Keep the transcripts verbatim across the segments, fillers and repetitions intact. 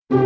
歡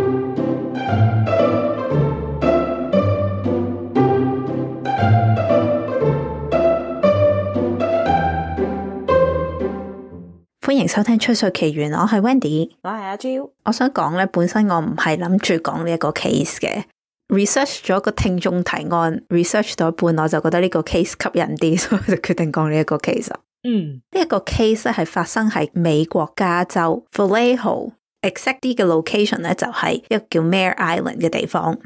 迎收聽《吹水奇緣》，我係 Wendy， 我係阿 Jo。我想講咧，本身我唔係諗住講呢一個 case 嘅 ，research 咗個聽眾提案 ，research 到一半我就覺得呢個 case 吸引啲，所以我就決定講呢一個 case。嗯，呢一個 case 咧係發生喺美國加州 Vallejo，exact 啲嘅 location 咧就係一個叫 Mare Island 嘅地方。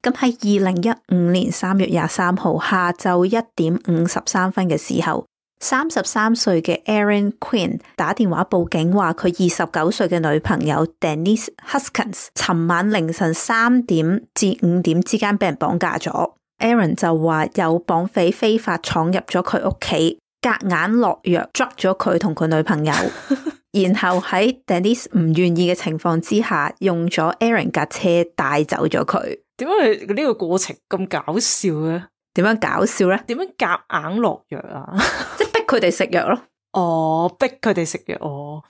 咁喺二零一五年三月廿三號下晝一點五十三分嘅時候，三十三歲嘅 Aaron Quinn 打電話報警，話佢二十九歲嘅女朋友 Denise Huskins 尋晚凌晨三點至五點之間俾人綁架咗。Aaron 就話有綁匪非法闖入咗佢屋企，夾硬落藥捉咗佢同佢女朋友，然後喺 Denise 唔願意嘅情況之下，用咗 Aaron 架車帶走咗佢。點解呢個過程咁搞笑咧？點樣搞笑咧？點樣夾硬落藥啊？即係逼佢哋食藥咯。哦，逼佢哋食藥哦。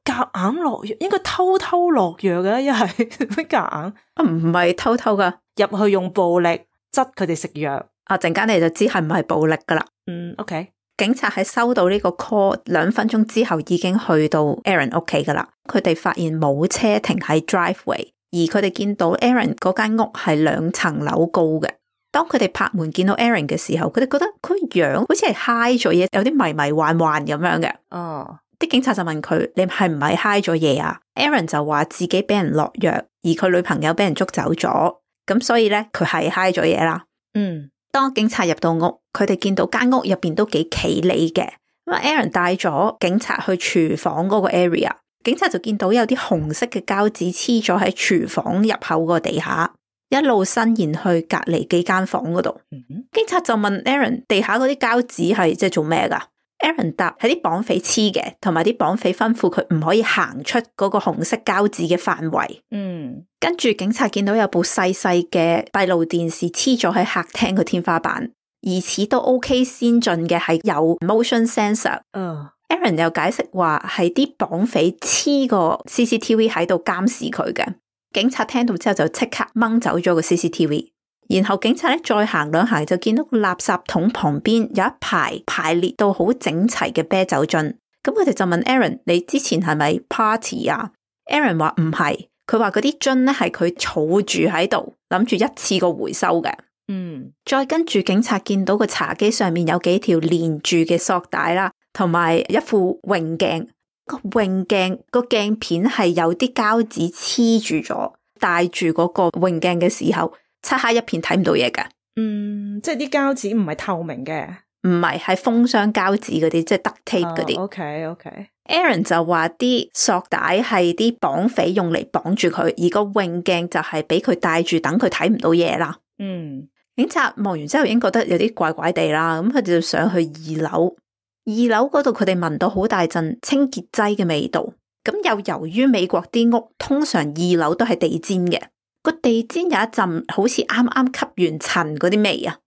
咁夾硬落藥，應該偷偷落藥嘅，一係乜夾硬？啊，唔係偷偷噶，入去用暴力執佢哋食藥。啊，陣間你就知係唔係暴力噶啦。嗯 ，OK。警察喺收到呢個 call 兩分鐘之後已經去到 Aaron 屋企噶啦。佢哋發現冇車停喺 driveway， 而佢哋見到 Aaron 嗰間屋係兩層樓高嘅。當佢哋拍門見到 Aaron 嘅時候，佢哋覺得佢樣好似係 high 咗嘢，有啲迷迷幻幻咁樣嘅。哦，啲警察就問佢：你係唔係 high 咗嘢啊？ Aaron 就話自己俾人落藥，而佢女朋友俾人捉走咗，咁所以咧佢係 high 咗嘢啦。嗯，當警察入到屋，佢哋見到間屋入邊都幾企理嘅。咁 Aaron 帶咗警察去廚房嗰個 area， 警察就見到有啲紅色嘅膠紙黐咗喺廚房入口個地下。一路伸延去隔籬幾間房嗰度，嗯、警察就問 Aaron 地下嗰啲膠紙係即係做咩噶 ？Aaron 答係啲綁匪黐嘅，同埋啲綁匪吩咐佢唔可以行出嗰個紅色膠紙嘅範圍。嗯，跟住警察見到有部細細嘅閉路電視黐咗喺客廳個天花板，疑似都 OK 先進嘅係有 motion sensor。嗯 ，Aaron 又解釋話係啲綁匪黐個 C C T V 喺度監視佢嘅。警察聽到之後就即刻掹走咗個 C C T V， 然後警察咧再行兩行就見到個垃圾桶旁邊有一排排列到好整齊嘅啤酒樽，咁佢哋就問 Aaron： 你之前係咪 party 啊 ？Aaron 話唔係，佢話嗰啲樽咧係佢儲住喺度，諗住一次過回收嘅。嗯，再跟住警察見到個茶幾上面有幾條連住嘅索帶啦，同埋一副泳鏡。個泳鏡個鏡片係有啲膠紙黐住咗，戴住嗰個泳鏡嘅時候，漆黑一片睇唔到嘢㗎。嗯，即係啲膠紙唔係透明嘅，唔係，係封箱膠紙嗰啲，即係 duct tape 嗰啲。Oh, OK OK。Aaron 就話啲索帶係啲綁匪用嚟綁住佢，而個泳鏡就係俾佢戴住，等佢睇唔到嘢啦。嗯，警察望完之後已經覺得有啲怪怪地啦，咁佢就上去二樓。二樓嗰度佢哋聞到好大陣清潔劑嘅味道，咁又由於美國啲屋通常二樓都係地氈嘅，個地氈有一陣好似啱啱吸完塵嗰啲味啊，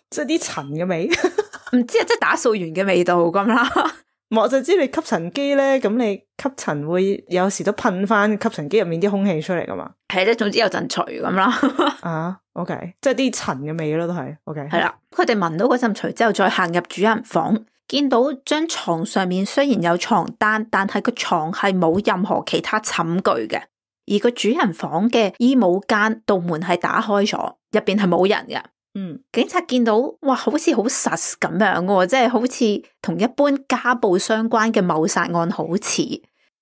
即係啲塵嘅味，唔知啊，即係打掃完嘅味道咁啦。我就知你吸塵機咧，咁你吸塵會有時都噴翻吸塵機入面啲空氣出嚟噶嘛？係咧，總之有陣除咁啦。啊 ，OK， 即係啲塵嘅味咯，都係 OK。係啦，佢哋聞到嗰陣除之後，再行入主人房。見到張床上面雖然有床單，但係個床係冇任何其他寢具嘅，而個主人房嘅衣帽間道門係打開咗，入邊係冇人嘅。嗯，警察見到哇，好似好實咁樣嘅，即係好似同一般家暴相關嘅謀殺案好似。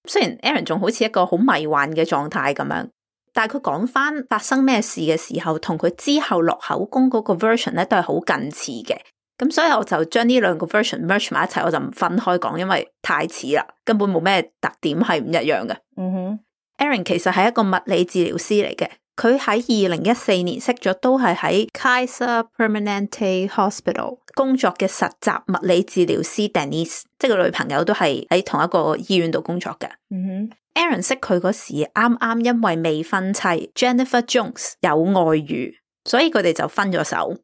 雖然 Aaron 仲好似一個好迷幻嘅狀態咁樣，但係佢講翻發生咩事嘅時候，同佢之後落口供嗰個 version 咧都係好近似嘅。咁所以我就將呢兩個 version merge 埋一齊，我就唔分開講，因為太似啦，根本冇咩特點係唔一樣嘅。嗯哼 Aaron 其實係一個物理治療師嚟嘅，佢喺二零一四年識咗都係喺 Kaiser Permanente Hospital 工作嘅實習物理治療師 Denise， 即係個女朋友都係喺同一個醫院度工作嘅。嗯哼 Aaron 識佢嗰時啱啱因為未婚妻 Jennifer Jones 有外遇，所以佢哋就分咗手。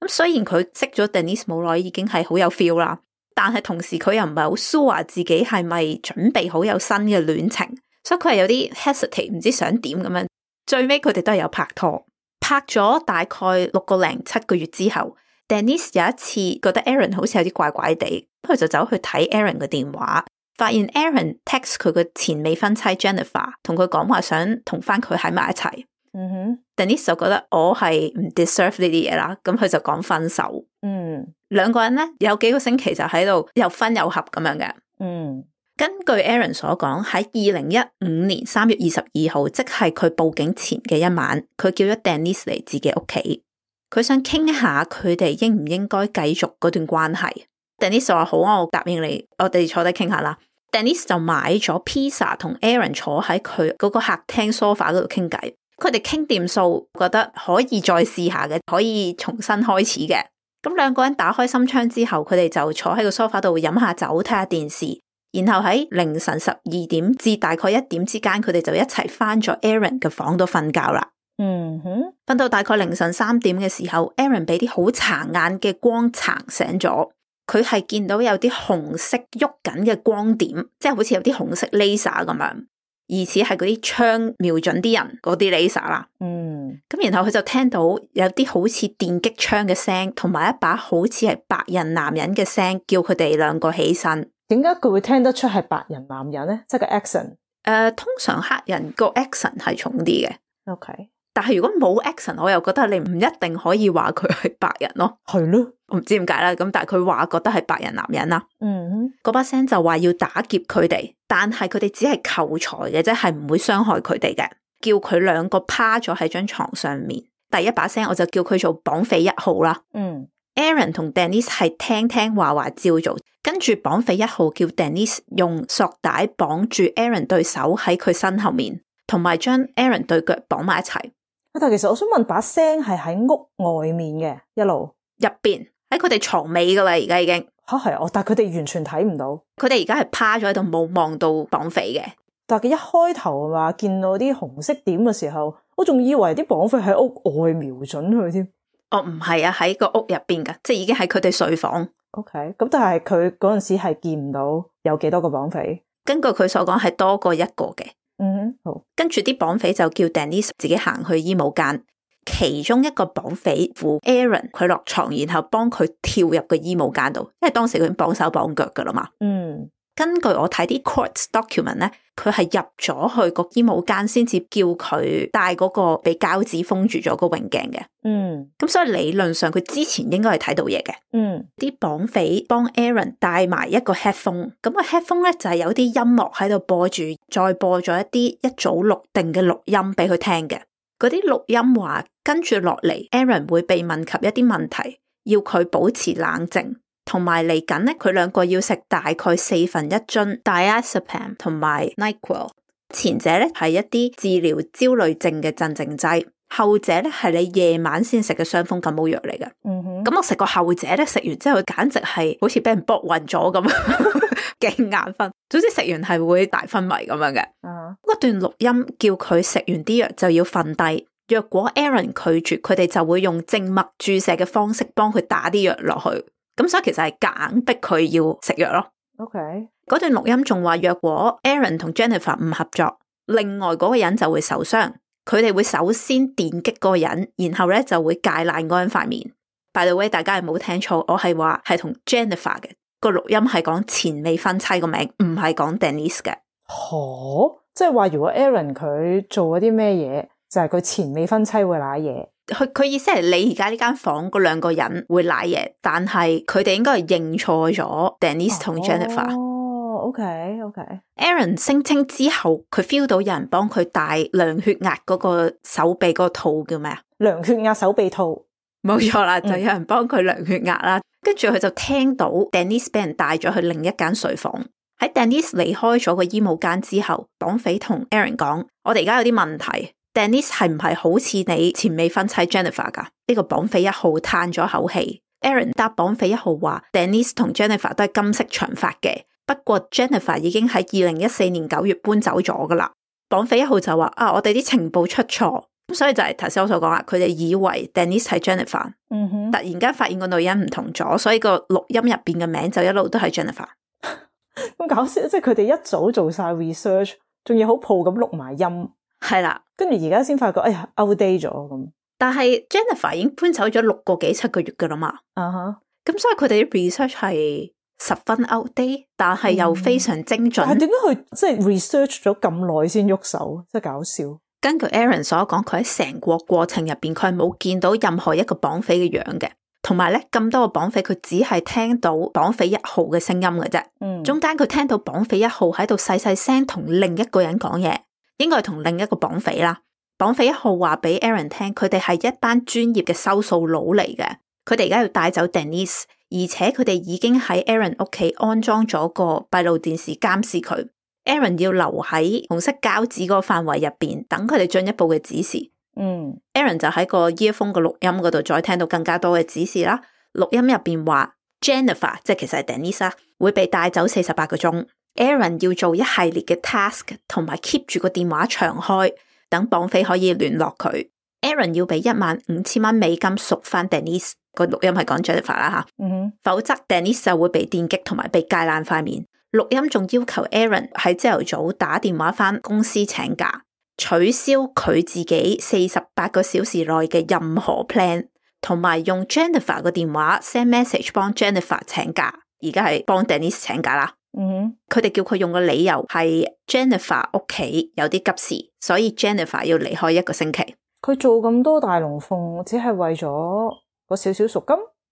咁雖然佢識咗 Denise 冇耐已經係好有 feel 啦，但係同時佢又唔係好 sure 自己係咪準備好有新嘅戀情，所以佢係有啲 hesitate，唔知想點咁樣。最尾佢哋都係有拍拖，拍咗大概六個零七個月之後 Denise 有一次覺得 Aaron 好似有啲怪怪地，佢就走去睇 Aaron 嘅電話，發現 Aaron text 佢嘅前未婚妻 Jennifer 同佢講話想同翻佢喺埋一齊。嗯哼 Denise 就覺得我係唔 deserve 呢啲嘢啦，咁佢就講分手。嗯，兩個人咧有幾個星期就喺度又分又合咁樣嘅。嗯，根據 Aaron 所講，喺二零一五年三月二十二號，即係佢報警前嘅一晚，佢叫咗 Denise 嚟自己屋企，佢想傾下佢哋應唔應該繼續嗰段關係。Denise 就話好啊，我答應你，我哋坐低傾下啦。Denise 就買咗 pizza 同 Aaron 坐喺佢嗰個客廳 sofa 嗰度傾偈。佢哋傾掂數，覺得可以再試下嘅，可以重新開始嘅。咁兩個人打開心窗之後，佢哋就坐喺個 sofa 度飲下酒，睇下電視。然後喺凌晨十二點至大概一點之間，佢哋就一齊返咗 Aaron 嘅房度瞓覺啦。嗯哼，瞓到大概凌晨三點嘅時候 ，Aaron 俾啲好殘眼嘅光撐醒咗。佢係見到有啲紅色喐緊嘅光點，即係好似有啲紅色 laser 咁樣。疑似係嗰啲槍瞄準啲人嗰啲 laser 啦，嗯，咁然後佢就聽到有啲好似電擊槍嘅聲，同埋一把好似係白人男人嘅聲，叫佢哋兩個起身。點解佢會聽得出係白人男人咧？即係個 accent。誒、呃，通常黑人個 accent 係重啲嘅。OK，但係如果冇 accent，我又覺得你唔一定可以話佢係白人咯。係咯，我唔知點解啦。咁但係佢話覺得係白人男人啦。嗯，嗰把聲就話要打劫佢哋，但係佢哋只係求財嘅啫，係唔會傷害佢哋嘅。叫佢兩個趴咗喺張床上面。第一把聲我就叫佢做綁匪一號啦。嗯 Aaron 同 Denise 係聽聽話話照做，跟住綁匪一號叫 Denise 用索帶綁住 Aaron 對手喺佢身後面，同埋將 Aaron 對腳綁埋一齊。但其實我想問，把聲係喺屋外面嘅，一路入邊喺佢哋床尾噶啦，而家已經吓係哦，但係佢哋完全睇唔到，佢哋而家係趴咗喺度冇望到綁匪嘅。但係佢一開頭話見到啲紅色點嘅時候，我仲以為啲綁匪喺屋外瞄準佢添。哦，唔係啊，喺個屋入邊噶，即係已經喺佢哋睡房。OK，咁但係佢嗰陣時係見唔到有幾多個綁匪。根據佢所講係多過一個嘅。嗯，好。跟住啲綁匪就叫 Denise 自己行去衣帽間，其中一個綁匪扶 Aaron 佢落床，然後幫佢跳入個衣帽間度，因為當時佢已經綁手綁腳噶啦嘛。嗯，根據我睇啲 court document 咧，佢係入咗去個衣帽間先至叫佢戴嗰個被膠紙封住咗個泳鏡嘅。嗯，咁所以理論上佢之前應該係睇到嘢嘅。嗯，啲綁匪幫 Aaron 戴埋一個 headphone，咁個 headphone 咧就係有啲音樂喺度播住，再播咗一啲一早錄定嘅錄音俾佢聽嘅。嗰啲錄音話跟住落嚟 Aaron 會被問及一啲問題，要佢保持冷靜。同埋嚟緊咧，佢兩個要食大概四分一樽 diazepam 同埋 NyQuil。前者咧係一啲治療焦慮症嘅鎮靜劑，後者咧係你夜晚先食嘅傷風感冒藥嚟嘅。嗯哼，咁我食個後者咧，食完之後簡直係好似俾人搏暈咗咁，勁眼瞓。總之食完係會大昏迷咁樣嘅。嗯，嗰段錄音叫佢食完啲藥就要瞓低。若果 Aaron 拒絕，佢哋就會用靜脈注射嘅方式幫佢打啲藥落去。咁所以其實係夾硬逼佢要食藥咯。OK，嗰段錄音仲話，若果 Aaron 同 Jennifer 唔合作，另外嗰個人就會受傷。佢哋會首先電擊嗰個人，然後咧就會戒爛嗰個人塊面。By the way，大家係冇聽錯，我係話係同 Jennifer 嘅個錄音係講前未婚妻個名，唔係講 Denise 嘅。哦，即係話如果 Aaron 佢做咗啲咩嘢，就係、是、佢前未婚妻會瀨嘢。佢佢意思係你而家呢間房嗰兩個人會瀨嘢，但係佢哋應該係認錯咗 Denise 同 Jennifer。哦 ，OK OK。Aaron 聲稱之後，佢 feel 到有人幫佢戴量血壓嗰個手臂嗰個套叫咩啊？量血壓手臂套，冇錯啦，就有人幫佢量血壓啦。跟住佢就聽到 Denise 俾人帶咗去另一間睡房。喺 Denise 離開咗個衣帽間之後，綁匪同 Aaron 講：我哋而家有啲問題。Denise 係唔係好似你前未婚妻 Jennifer 噶？呢、這個綁匪一號嘆咗口氣。Aaron 答綁匪一號話 Denise 同 Jennifer 都係金色長髮嘅，不過 Jennifer 已經喺二零一四年九月搬走咗噶啦。綁匪一號就話啊，我哋啲情報出錯，咁所以就係頭先我所講啦，佢哋以為 Denise 係 Jennifer，嗯哼，突然間發現個女人唔同咗，所以個錄音入邊嘅名就一路都係 Jennifer。咁搞笑，即係佢哋一早做晒 research，仲要好鋪咁錄埋音。係啦，跟住而家先發覺，哎呀 outdate 咗咁。但係 Jennifer 已經搬走咗六個幾七個月噶啦嘛，啊哈，咁所以佢哋啲 research 係十分 outdate，但係又非常精準。但係點解佢即係 research 咗咁耐先喐手？真係搞笑。根據 Aaron 所講，佢喺成個過程入邊，佢係冇見到任何一個綁匪嘅樣嘅，同埋咧咁多個綁匪，佢只係聽到綁匪一號嘅聲音嘅啫。嗯，中間佢聽到綁匪一號喺度細細聲同另一個人講嘢，應該係同另一個綁匪啦。綁匪一號話俾 Aaron 聽，佢哋係一班專業嘅收數佬嚟嘅，佢哋而家要帶走 Denise， 而且佢哋已經喺 Aaron 屋企安裝咗個閉路電視監視佢。Aaron 要留喺紅色膠紙嗰個範圍入邊，等佢哋進一步嘅指示。嗯 ，Aaron 就喺個 earphone 嘅錄音嗰度再聽到更加多嘅指示啦。錄音入邊話 Jennifer 即係其實係 Denise 會被帶走四十八個鐘。Aaron 要做一系列嘅 task， 同埋 keep 住個電話長開，等綁匪可以聯絡佢。Aaron 要俾一萬五千蚊美金贖翻 Denise， 個錄音係講 Jennifer 啦吓。嗯哼，否則 Denise 就會被電擊同埋被戒爛塊面。錄音仲要求 Aaron 喺朝頭早打電話翻公司請假，取消佢自己四十八個小時內嘅任何 plan， 同埋用 Jennifer 個電話 send message 幫 Jennifer 請假，而家係幫 Denise 請假啦。嗯，佢哋叫佢用個理由係 Jennifer 屋企有啲急事，所以 Jennifer 要離開一個星期。佢做咁多大龍鳳，只係為咗個少少贖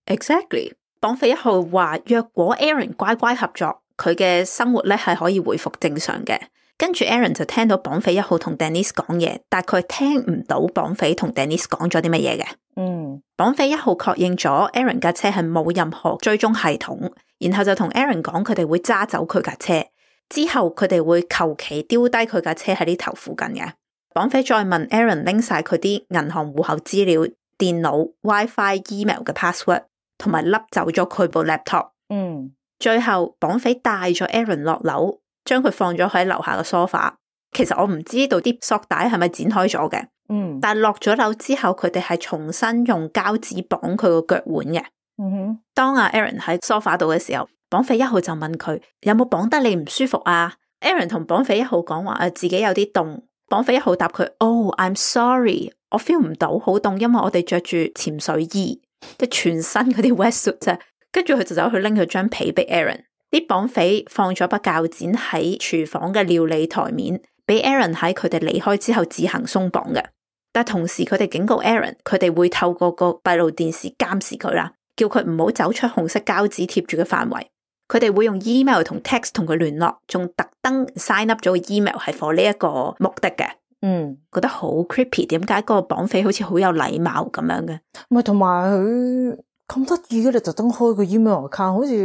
金。Exactly， 綁匪一號話，若果 Aaron 乖乖合作，佢嘅生活咧係可以回復正常嘅。跟住 Aaron 就聽到綁匪一號同 Denise 講嘢，但係佢聽唔到綁匪同 Denise 講咗啲乜嘢嘅。嗯，綁匪一號確認咗 Aaron 架車係冇任何追蹤系統，然後就同 Aaron 講佢哋會揸走佢架車，之後佢哋會求其丟低佢架車喺呢頭附近嘅。綁匪再問 Aaron 拎晒佢啲銀行戶口資料、電腦、WiFi、email 嘅 password， 同埋笠走咗佢部 laptop。嗯。最後綁匪帶咗 Aaron 落樓，將佢放咗喺樓下嘅 sofa。其實我唔知道啲索帶係咪剪開咗嘅，嗯，但係落咗樓之後，佢哋係重新用膠紙綁佢個腳腕嘅。嗯哼，當阿 Aaron 喺 sofa 度嘅時候，綁匪一號就問佢有冇綁得你唔舒服啊 ？Aaron 同綁匪一號講話誒，自己有啲凍。綁匪一號答佢：Oh, I'm sorry， 我 feel 唔到好凍，因為我哋着住潛水衣，即係全身嗰啲 wetsuit 啫。跟住佢就走去拎佢張被俾 Aaron。啲綁匪放咗把鉸剪喺廚房嘅料理台面，俾 Aaron 喺佢哋離開之後自行鬆綁嘅。但同時佢哋警告 Aaron， 佢哋會透過個閉路電視監視佢啦，叫佢唔好走出紅色膠紙貼住嘅範圍。佢哋會用 email 同 text 同佢聯絡，仲特登 sign up 咗個 email 係 for 呢一個目的嘅。嗯，覺得好 creepy， 點解嗰個綁匪好似好有禮貌咁樣嘅？唔係，同埋佢咁得意嘅，你特登開個 email account，好似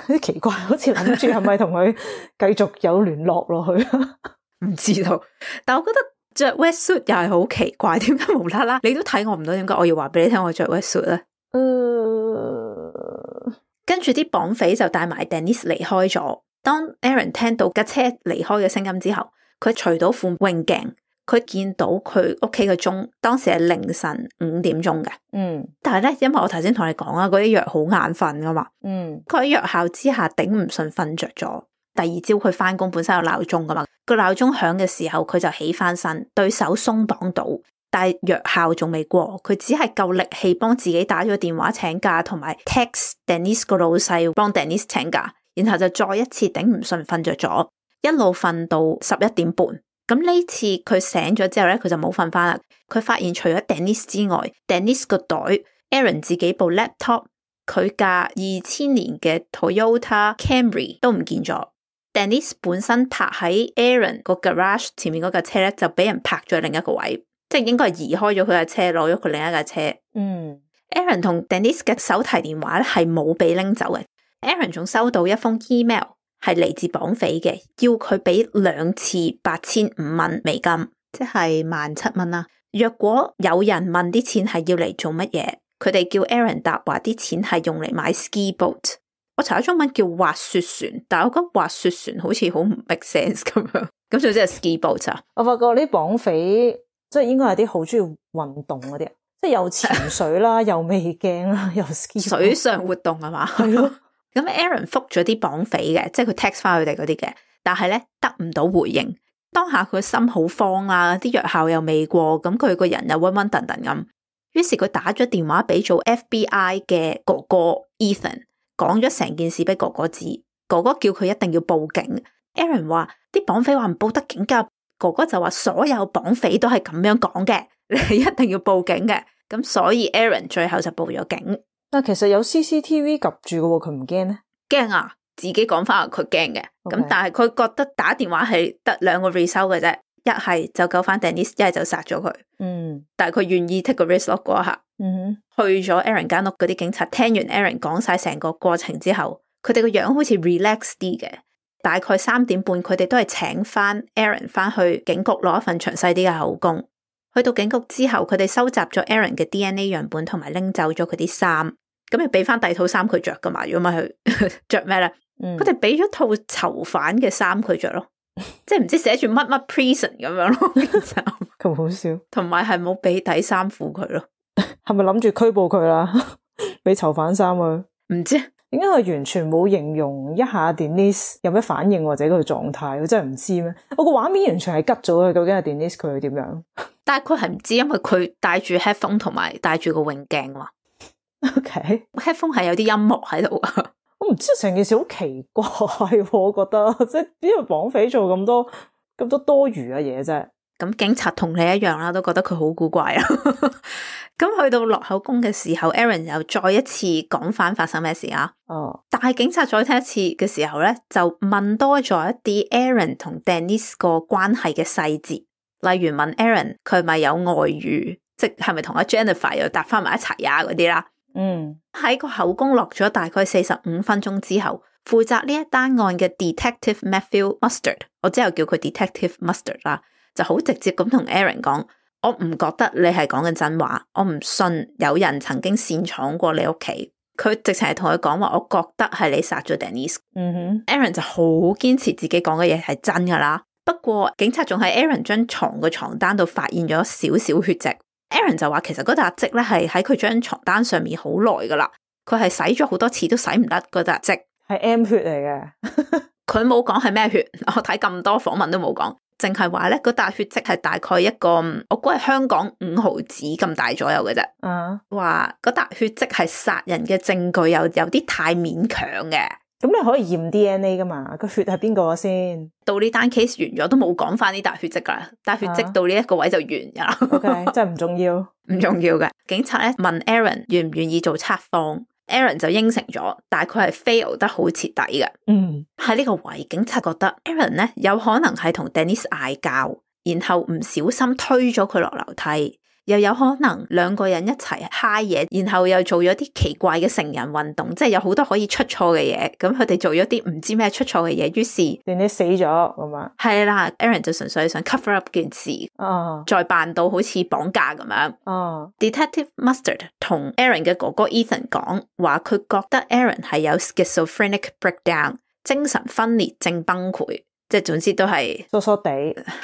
有啲奇怪，好似諗住係咪同佢繼續有聯絡落去？唔知道，但我覺得着 wetsuit 又係好奇怪，點解無啦啦？你都睇我唔到，點解我要話俾你聽我着 wetsuit 咧？誒、uh ，跟住啲綁匪就帶埋 Denise 離開咗。當 Aaron 聽到架車離開嘅聲音之後，佢除到副泳鏡。佢見到佢屋企嘅鐘，當時係凌晨五點鐘嘅。嗯，但係咧，因為我頭先同你講啊，嗰啲藥好眼瞓噶嘛。嗯，佢喺藥效之下頂唔順，瞓着咗。第二朝佢翻工本身有鬧鐘噶嘛，個鬧鐘響嘅時候，佢就起翻身，對手鬆綁到，但係藥效仲未過，佢只係夠力氣幫自己打咗電話請假，同埋 text Denise 個老細幫 Denise 請假，然後就再一次頂唔順，瞓着咗，一路瞓到十一點半。咁呢次佢醒咗之後咧，佢就冇瞓翻啦。佢發現除咗 Denise 之外 ，Denise 個袋、Aaron 自己部 laptop、佢架二千年嘅 Toyota Camry 都唔見咗。Denise 本身泊喺 Aaron 個 garage 前面嗰架車咧，就俾人泊咗另一個位，即係應該係移開咗佢架車，攞咗佢另一架車。嗯 ，Aaron 同 Denise 嘅手提電話咧係冇被拎走嘅。Aaron 仲收到一封 email。係嚟自綁匪嘅，要佢俾兩次八千五蚊美金，即係萬七蚊啦。若果有人問啲錢係要嚟做乜嘢，佢哋叫 Aaron 答話啲錢係用嚟買 ski boat。我查咗中文叫滑雪船，但係我覺得滑雪船好似好唔 make sense 咁樣。咁就即係 ski boat 啊？我發覺呢綁匪即係應該係啲好中意運動嗰啲，即係又潛水啦，又未驚啦，又 ski boat。水上活動係嘛？係咯。咁 Aaron 覆咗啲綁匪嘅，即係佢 text 翻佢哋嗰啲嘅，但係咧得唔到回應。當下佢心好慌啊，啲藥效又未過，咁佢個人又暈暈頓頓咁。於是佢打咗電話俾做 F B I 嘅哥哥 Ethan， 講咗成件事俾哥哥知。哥哥叫佢一定要報警。Aaron 話啲綁匪話唔報得警噶，哥哥就話所有綁匪都係咁樣講嘅，你一定要報警嘅。咁所以 Aaron 最後就報咗警。但其實有 C C T V 及住嘅喎，佢唔驚咧？驚啊！自己講翻佢驚嘅。咁 Okay. 但但係佢覺得打電話係得兩個 result 嘅啫，一係就救翻 Denise， 一係就殺咗佢。嗯，但係佢願意 take 個 risk 咯嗰一下。嗯哼，去咗 Aaron 間屋嗰啲警察聽完 Aaron 講晒成個過程之後，佢哋個樣好似 relax 啲嘅。大概三點半，佢哋都係請翻 Aaron 翻去警局攞一份詳細啲嘅口供。去到警局之後，佢哋收集咗 Aaron 嘅 D N A 樣本，同埋拎走咗佢啲衫，咁要俾翻第二套衫佢着噶嘛？如果唔係佢着咩咧？佢哋俾咗套囚犯嘅衫佢着咯，即係唔知寫住乜乜 prison 咁樣咯。咁好笑，同埋係冇俾底衫褲佢咯。係咪諗住拘捕佢啦？俾囚犯衫佢？唔知點解佢完全冇形容一下 Denise 有咩反應或者佢嘅狀態？佢真係唔知咩？我個畫面完全係吉咗佢，究竟係 Denise 佢係點樣？但係佢係唔知，因為佢戴住 headphone 同埋戴住個泳鏡嘛。OK， headphone 係有啲音樂喺度啊。我唔知成件事好奇怪，我覺得即係邊個綁匪做咁多咁多多餘嘅嘢啫。咁警察同你一樣啦，都覺得佢好古怪啊。咁去到落口供嘅時候 ，Aaron 又再一次講翻發生咩事啊？哦，但係警察再聽一次嘅時候咧，就問多咗一啲 Aaron 同 Denise 個關係嘅細節，例如問 Aaron 佢係咪有外遇，即係咪同阿 Jennifer 又搭翻埋一齊啊嗰啲啦。嗯，喺個口供落咗大概四十五分鐘之後，負責呢一單案嘅 Detective Matthew Mustard， 我之後叫佢 Detective Mustard 啦，就好直接咁同 Aaron 講，我唔覺得你係講緊真話，我唔信有人曾經擅闖過你屋企。佢直情係同佢講話，我覺得係你殺咗 Denise。嗯哼 Aaron 就好堅持自己講嘅嘢係真噶啦。不過警察仲喺 Aaron 張床嘅床單度發現咗少少血跡。Aaron 就話其實嗰笪跡咧係喺佢張床單上面好耐噶啦，佢係洗咗好多次都洗唔甩嗰笪跡，係 M 血嚟嘅。佢冇講係咩血，我睇咁多訪問都冇講，淨係話咧嗰笪血跡係大概一個，我估係香港五毫子咁大左右嘅啫。啊，話嗰笪血跡係殺人嘅證據，又有啲太勉強嘅。咁你可以驗 D N A 噶嘛？個血係邊個先？到呢單 case 完咗都冇講翻呢笪血跡噶啦，但血跡到呢一個位就完噶啦。O K， 真係唔重要，唔重要嘅。警察咧問 Aaron 願唔願意做測謊 ，Aaron 就應承咗，但係佢係 fail 得好徹底嘅。嗯，喺呢個位，警察覺得 Aaron 咧有可能係同 Denise 嗌交，然後唔小心推咗佢落樓梯。又有可能兩個人一齊嗨嘢，然後又做咗啲奇怪嘅成人運動，即係有好多可以出錯嘅嘢。咁佢哋做咗啲唔知咩出錯嘅嘢，於是連你死咗咁啊？係啦 ，Aaron 就純粹想 cover up 件事，哦，再扮到好似綁架咁樣。哦 Detective Mustard 同 Aaron 嘅哥哥 Ethan 講話，佢覺得 Aaron 係有 schizophrenic breakdown， 精神分裂症崩潰。即係總之都係疏疏地，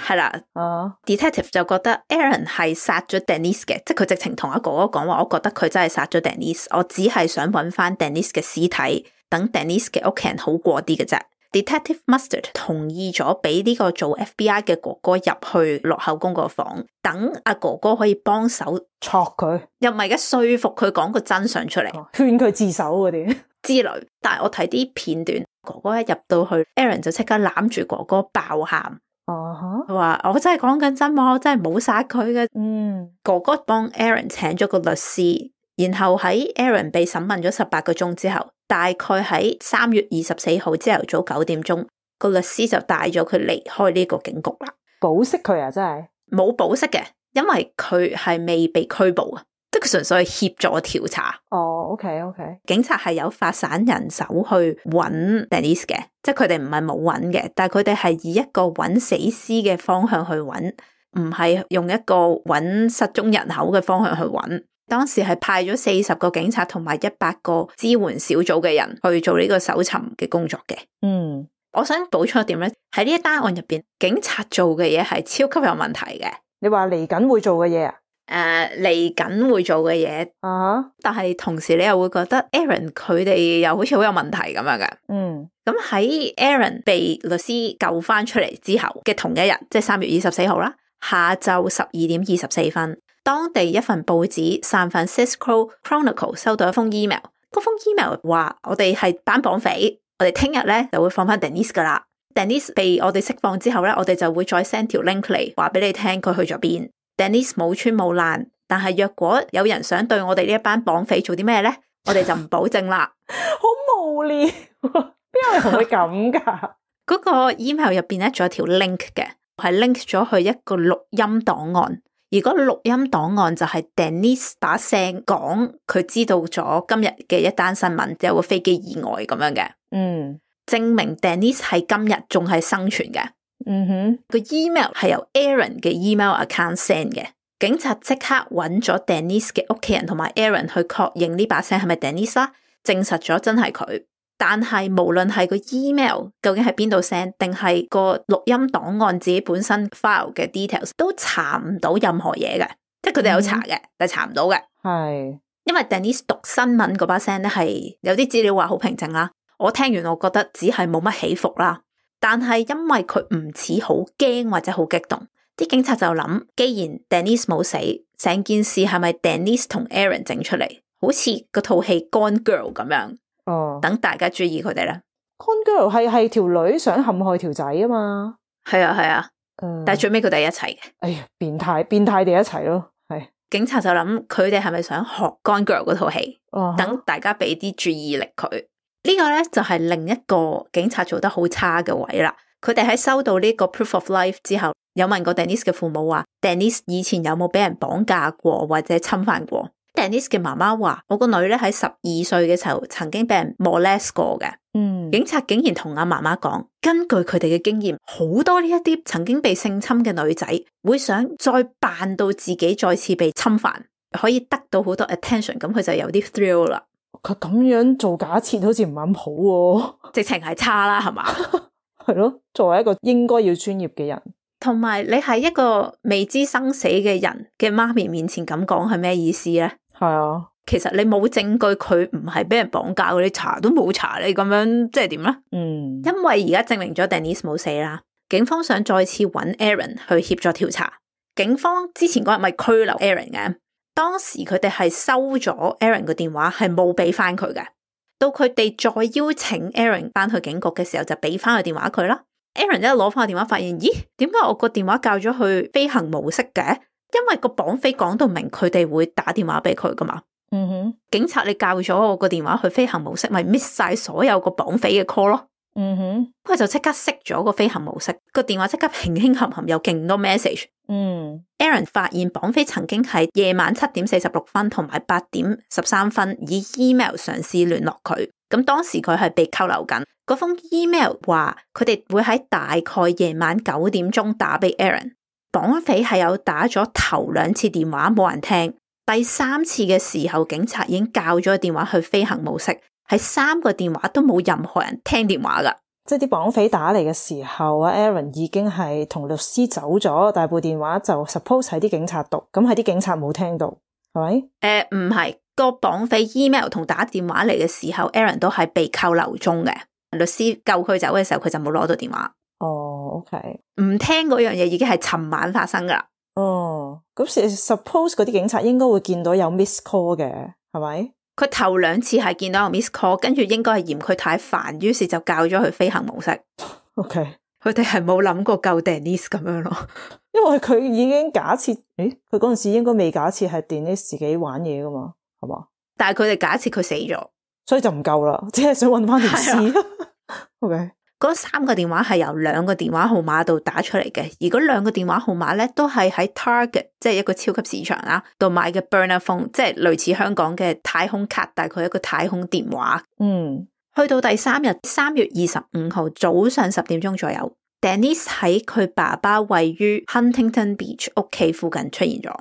係啦。哦 Detective 就覺得 Aaron 係殺咗 Denise 嘅，即係佢直情同阿哥哥講話，我覺得佢真係殺咗 Denise， 我只係想揾翻 Denise 嘅屍體，等 Denise 嘅屋企人好過啲嘅啫。Detective Mustard 同意咗俾呢個做 F B I 嘅哥哥入去落口供個房，等阿哥哥可以幫手戳佢，又唔係嘅說服佢講個真相出嚟，勸佢自首嗰啲之類。但係我睇啲片段，哥哥一入到去 Aaron 就即刻攬住哥哥爆喊，哦，佢話我真係講緊真話，我真係冇殺佢嘅。嗯，哥哥幫 Aaron 請咗個律師，然後喺 Aaron 被審問咗十八個鐘之後，大概喺三月二十四號朝頭早九點鐘，個律師就帶咗佢離開呢個警局啦。保釋佢啊，真係冇保釋嘅，因為佢係未被拘捕啊，即係佢純粹係協助調查。哦 ，OK OK，警察係有發散人手去揾 Denise 嘅，即係佢哋唔係冇揾嘅，但係佢哋係以一個揾死屍嘅方向去揾，唔係用一個揾失蹤人口嘅方向去揾。當時係派咗四十個警察同埋一百個支援小組嘅人去做呢個搜尋嘅工作嘅。嗯，我想補充一點咧，喺呢一單案入邊，警察做嘅嘢係超級有問題嘅。你話嚟緊會做嘅嘢啊？誒嚟緊會做嘅嘢啊，uh-huh. 但係同時你又會覺得 Aaron 佢哋又好似好有問題咁樣嘅。嗯，咁喺 Aaron 被律師救翻出嚟之後嘅同一日，即係三月二十四號啦，下晝十二點二十四分，當地一份報紙 San Francisco Chronicle 收到一封 email， 嗰封 email 話我哋係班綁匪，我哋聽日咧就會放翻 Denise 噶啦。Denise 被我哋釋放之後咧，我哋就會再 send 條 link 嚟話俾你聽佢去咗邊。Denise 冇穿冇爛，但係若果有人想對我哋呢一班綁匪做啲咩咧，我哋就唔保證啦。好無聊，邊有人會咁噶？嗰個 email 入邊咧仲有條 link 嘅，係 link 咗去一個錄音檔案，而嗰個錄音檔案就係 Denise 把聲講佢知道咗今日嘅一單新聞，有個飛機意外咁樣嘅。嗯，證明 Denise 係今日仲係生存嘅。嗯哼，個 email 係由 Aaron 嘅 email account send 嘅，警察即刻揾咗 Denise 嘅屋企人同埋 Aaron 去確認呢把聲係咪 Denise 啦，證實咗真係佢。但係無論係個 email 究竟係邊度 send，定係個錄音檔案自己本身 file 嘅 details 都查唔到任何嘢嘅，即係佢哋有查嘅，嗯，但係查唔到嘅。係因為 Denise 讀新聞嗰把聲咧係有啲資料話好平靜啦，我聽完我覺得只係冇乜起伏啦。但係因為佢唔似好驚或者好激動，啲警察就諗，既然 Denise 冇死，成件事係咪 Denise 同 Aaron 整出嚟，好似嗰套戲 Gone Girl 咁樣。哦，等大家注意佢哋啦。Gone Girl 係係條女想陷害條仔啊嘛。係啊係啊，嗯，但係最尾佢哋一齊嘅。哎呀，變態變態地一齊咯。係警察就諗佢哋係咪想學 Gone Girl 嗰套戲？哦，等大家俾啲注意力佢。呢個咧就係另一個警察做得好差嘅位啦。佢哋喺收到呢個 proof of life 之後，有問過 Denise 嘅父母話 Denise 以前有冇俾人綁架過或者侵犯過。Denise 嘅媽媽話我個女咧喺十二歲嘅時候曾經俾人 molest 過嘅。嗯，警察竟然同阿媽媽講，根據佢哋嘅經驗，好多呢一啲曾經被性侵嘅女仔會想再扮到自己再次被侵犯，可以得到好多 attention， 咁佢就有啲 thrill 啦。佢咁樣做假設好似唔係咁好喎，直情係差啦，係嘛？係咯，作為一個應該要專業嘅人，同埋你係一個未知生死嘅人嘅媽咪面前咁講係咩意思咧？係啊，其實你冇證據佢唔係俾人綁架，你查都冇查，你咁樣即係點咧？嗯，因為而家證明咗 Denise 冇死啦，警方想再次揾 Aaron 去協助調查。警方之前嗰日咪拘留 Aaron 嘅。當時佢哋係收咗 Aaron 個電話，係冇俾翻佢嘅。到佢哋再邀請 Aaron 翻去警局嘅時候，就俾翻個電話佢啦。Aaron 一攞翻個電話，發現咦，點解我個電話校咗去飛行模式嘅？因為個綁匪講到明，佢哋會打電話俾佢噶嘛。嗯哼，警察你校咗我個電話去飛行模式，咪 miss 晒所有個綁匪嘅 call 咯。嗯哼，佢就即刻熄咗個飛行模式，個電話即刻輕輕冚冚有勁多 message。嗯 ，Aaron 發現綁匪曾經喺夜晚七點四十六分同埋八點十三分以 email 嘗試聯絡佢，咁當時佢係被扣留緊。嗰封 email 話佢哋會喺大概夜晚九點鐘打俾 Aaron。綁匪係有打咗頭兩次電話冇人聽，第三次嘅時候警察已經校咗個電話去飛行模式，喺三個電話都冇任何人聽電話噶。即係啲綁匪打嚟嘅時候啊 Aaron 已經係同律師走咗，但係部電話就 suppose 喺啲警察度，咁係啲警察冇聽到，係咪？誒，唔係，個綁匪 email 同打電話嚟嘅時候 Aaron 都係被扣留中嘅，律師救佢走嘅時候佢就冇攞到電話。哦 OK，唔聽嗰樣嘢已經係尋晚發生噶啦。哦，咁 suppose 嗰啲警察應該會見到有 miss call 嘅，係咪？佢頭兩次係見到有 miss call， 跟住應該係嫌佢太煩，於是就校咗去飛行模式。OK，佢哋係冇諗過救 Denise 咁樣咯，因為佢已經假設，誒，佢嗰陣時應該未假設係 Denise 自己玩嘢噶嘛，係嘛？但係佢哋假設佢死咗，所以就唔救啦，只係想搵翻條屍。OK。嗰三個電話係由兩個電話號碼度打出嚟嘅，而嗰兩個電話號碼咧都係喺 Target， 即係一個超級市場啦，度買嘅 burner phone， 即係類似香港嘅太空卡，但係佢一個太空電話。嗯，去到第三日三月二十五號早上十點鐘左右 ，Denise 喺佢爸爸位於 Huntington Beach 屋企附近出現咗。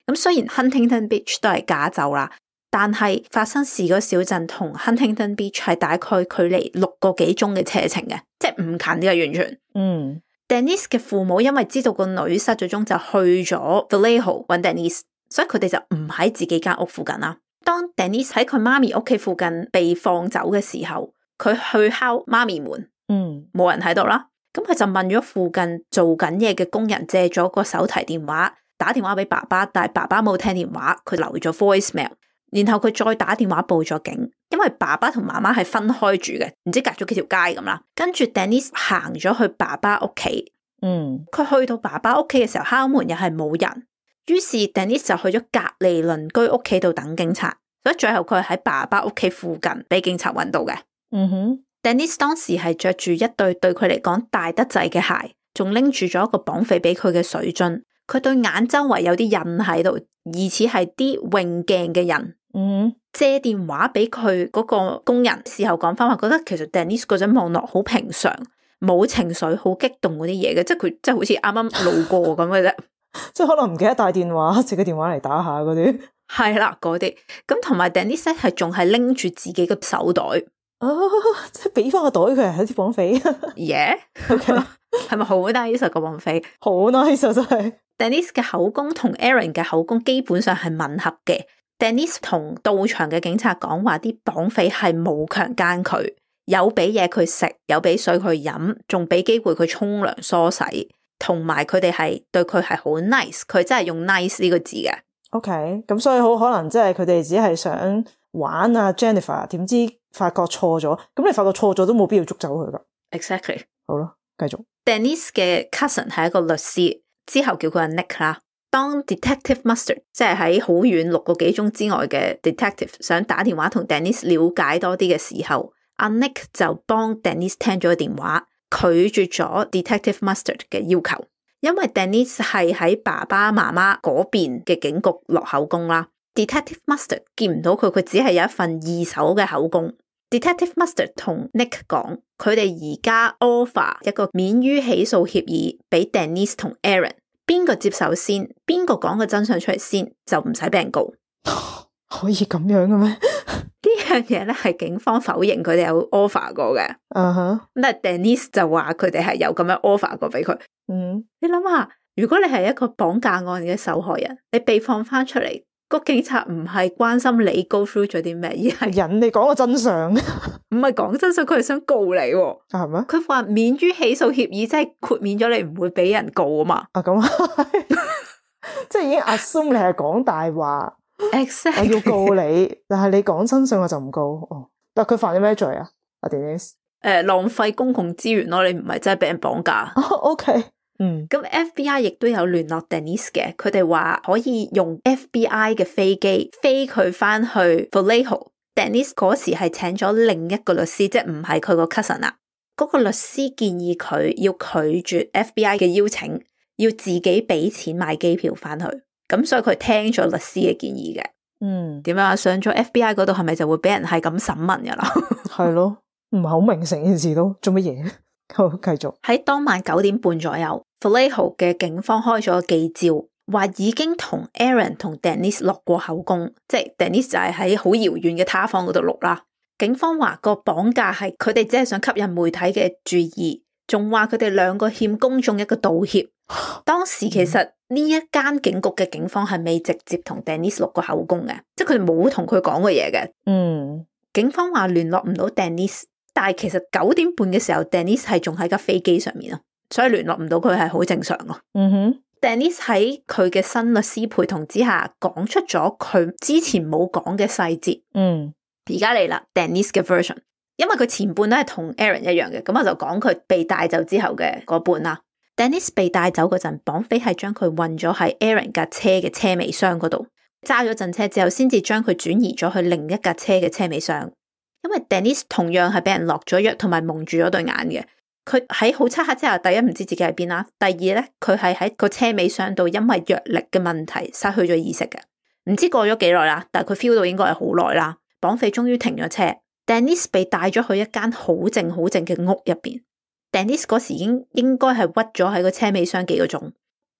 咁雖然 Huntington Beach 都係加州啦，但係發生事嗰小鎮同 Huntington Beach 係大概距離六個幾鐘嘅車程嘅，即係唔近嘅完全。嗯 ，Denise 嘅父母因為知道個女失咗蹤，就去咗 Vallejo 揾 Denise，所以佢哋就唔喺自己間屋附近啦。當 Denise 喺佢媽咪屋企附近被放走嘅時候，佢去敲媽咪門，嗯，冇人喺度啦。咁佢就問咗附近做緊嘢嘅工人借咗個手提電話，打電話俾爸爸，但係爸爸冇聽電話，佢留咗 voicemail， 然後佢再打電話報咗警，因為爸爸同媽媽係分開住嘅，唔知隔咗幾條街咁啦。跟住 Denise 行咗去爸爸屋企，嗯，佢去到爸爸屋企嘅時候敲門又係冇人，於是 Denise 就去咗隔離鄰居屋企度等警察，所以最後佢係喺爸爸屋企附近俾警察揾到嘅。嗯哼。Denise 當時係着住一對對佢嚟講大得滯嘅鞋，仲拎住咗一個綁匪俾佢嘅水樽，佢對眼周圍有啲印喺度，疑似係啲泳鏡嘅人。嗯，借電話俾佢嗰個工人，事後講翻話，覺得其實 Denise 嗰陣望落好平常，冇情緒，好激動嗰啲嘢嘅，即係佢即係好似啱啱路過咁嘅啫，即係可能唔記得帶電話，借個電話嚟打下嗰啲。係啦，嗰啲咁同埋 Denise 係仲係拎住自己嘅手袋。啊！即係俾翻個袋佢係啲綁匪，耶 OK 係咪好 nice 個綁匪？好 nice 啊！真係 Denise 嘅口供同 Aaron 嘅口供基本上係吻合嘅。Denise 同到場嘅警察講話，啲綁匪係冇強姦佢，有俾嘢佢食，有俾水佢飲，仲俾機會佢沖涼梳洗，同埋佢哋係對佢係好 nice， 佢真係用 nice 呢個字嘅。OK，咁所以好可能即係佢哋只係想玩啊 Jennifer， 點知發覺錯咗，咁你發覺錯咗都冇必要捉走佢噶。Exactly。好啦，繼續。Denise 嘅 cousin 係一個律師，之後叫佢阿 Nick 啦。當 Detective Mustard 即係喺好遠六個幾鐘之外嘅 Detective 想打電話同 Denise 了解多啲嘅時候，阿 Nick 就幫 Denise 聽咗個電話，拒絕咗 Detective Mustard 嘅要求，因為 Denise 係喺爸爸媽媽嗰邊嘅警局落口供啦。Detective Mustard 見唔到佢，佢只係有一份二手嘅口供。Detective Mustard 同 Nick 講，佢哋而家 offer 一個免於起訴協議俾 Denise 同 Aaron， 邊個接受先，邊個講個真相出嚟先，就唔使俾人告。可以咁樣嘅咩？呢樣嘢咧係警方否認佢哋有 offer 過嘅。嗯哼、uh，huh. 但係 Denise 就話佢哋係有咁樣 offer 過俾佢。嗯、uh，huh. 你諗下，如果你係一個綁架案嘅受害人，你被放翻出嚟，個警察唔係關心你 go through 咗啲咩，而係人哋講個真相，唔係講真相，佢係想告你。係咩？佢話免於起訴協議，即係豁免咗你唔會俾人告啊嘛。啊咁，即係已經 assume 你係講大話。Exactly. 我要告你，但係你講真相我就唔告。哦，但係佢犯咗咩罪啊？阿 Denise 誒，浪費公共資源咯，你唔係真係俾人綁架。哦 OK， 嗯，咁 F B I 亦都有聯絡 Denise 嘅，佢哋話可以用 F B I 嘅飛機飛佢翻去 Vallejo。Denise 嗰時係請咗另一個律師，即係唔係佢個 cousin 啦。嗰個律師建議佢要拒絕 F B I 嘅邀請，要自己俾錢買機票翻去。咁所以佢聽咗律師嘅建議嘅。嗯，點樣啊？上咗 F B I 嗰度係咪就會俾人係咁審問噶啦？係咯，唔係好明成件事都做乜嘢？好，繼續。喺當晚九點半左右 Vallejo 嘅警方開咗個記招，話已經同 Aaron 同 Denise 落過口供，即係 Denise 就係喺好遙遠嘅他方嗰度錄啦。警方話個綁架係佢哋只係想吸引媒體嘅注意，仲話佢哋兩個欠公眾一個道歉。當時其實呢一間警局嘅警方係未直接同 Denise 錄過口供嘅，即係佢哋冇同佢講過嘢嘅。嗯，警方話聯絡唔到 Denise， 但係其實九點半嘅時候 Denise 係仲喺架飛機上面咯，所以聯絡唔到佢係好正常咯。嗯哼 Denise 喺佢嘅新律師陪同之下，講出咗佢之前冇講嘅細節。嗯，而家嚟啦 Denise 嘅 version， 因為佢前半都係同 Aaron 一樣嘅，咁我就講佢被帶走之後嘅嗰半啦。Denise 被帶走嗰陣，綁匪係將佢運咗喺 Aaron 架車嘅車尾箱嗰度，揸咗陣車之後，先至將佢轉移咗去另一架車嘅車尾箱。因為 Denise 同樣係俾人落咗藥，同埋蒙住咗對眼嘅。佢喺好漆黑之下，第一唔知自己喺邊啦，第二咧佢係喺個車尾箱度，因為藥力嘅問題失去咗意識嘅。唔知過咗幾耐啦，但係佢 feel 到應該係好耐啦。綁匪終於停咗車 ，Denise 被帶咗去一間好靜好靜嘅屋入邊。Denise 嗰時已經應該係屈咗喺個車尾箱幾個鐘，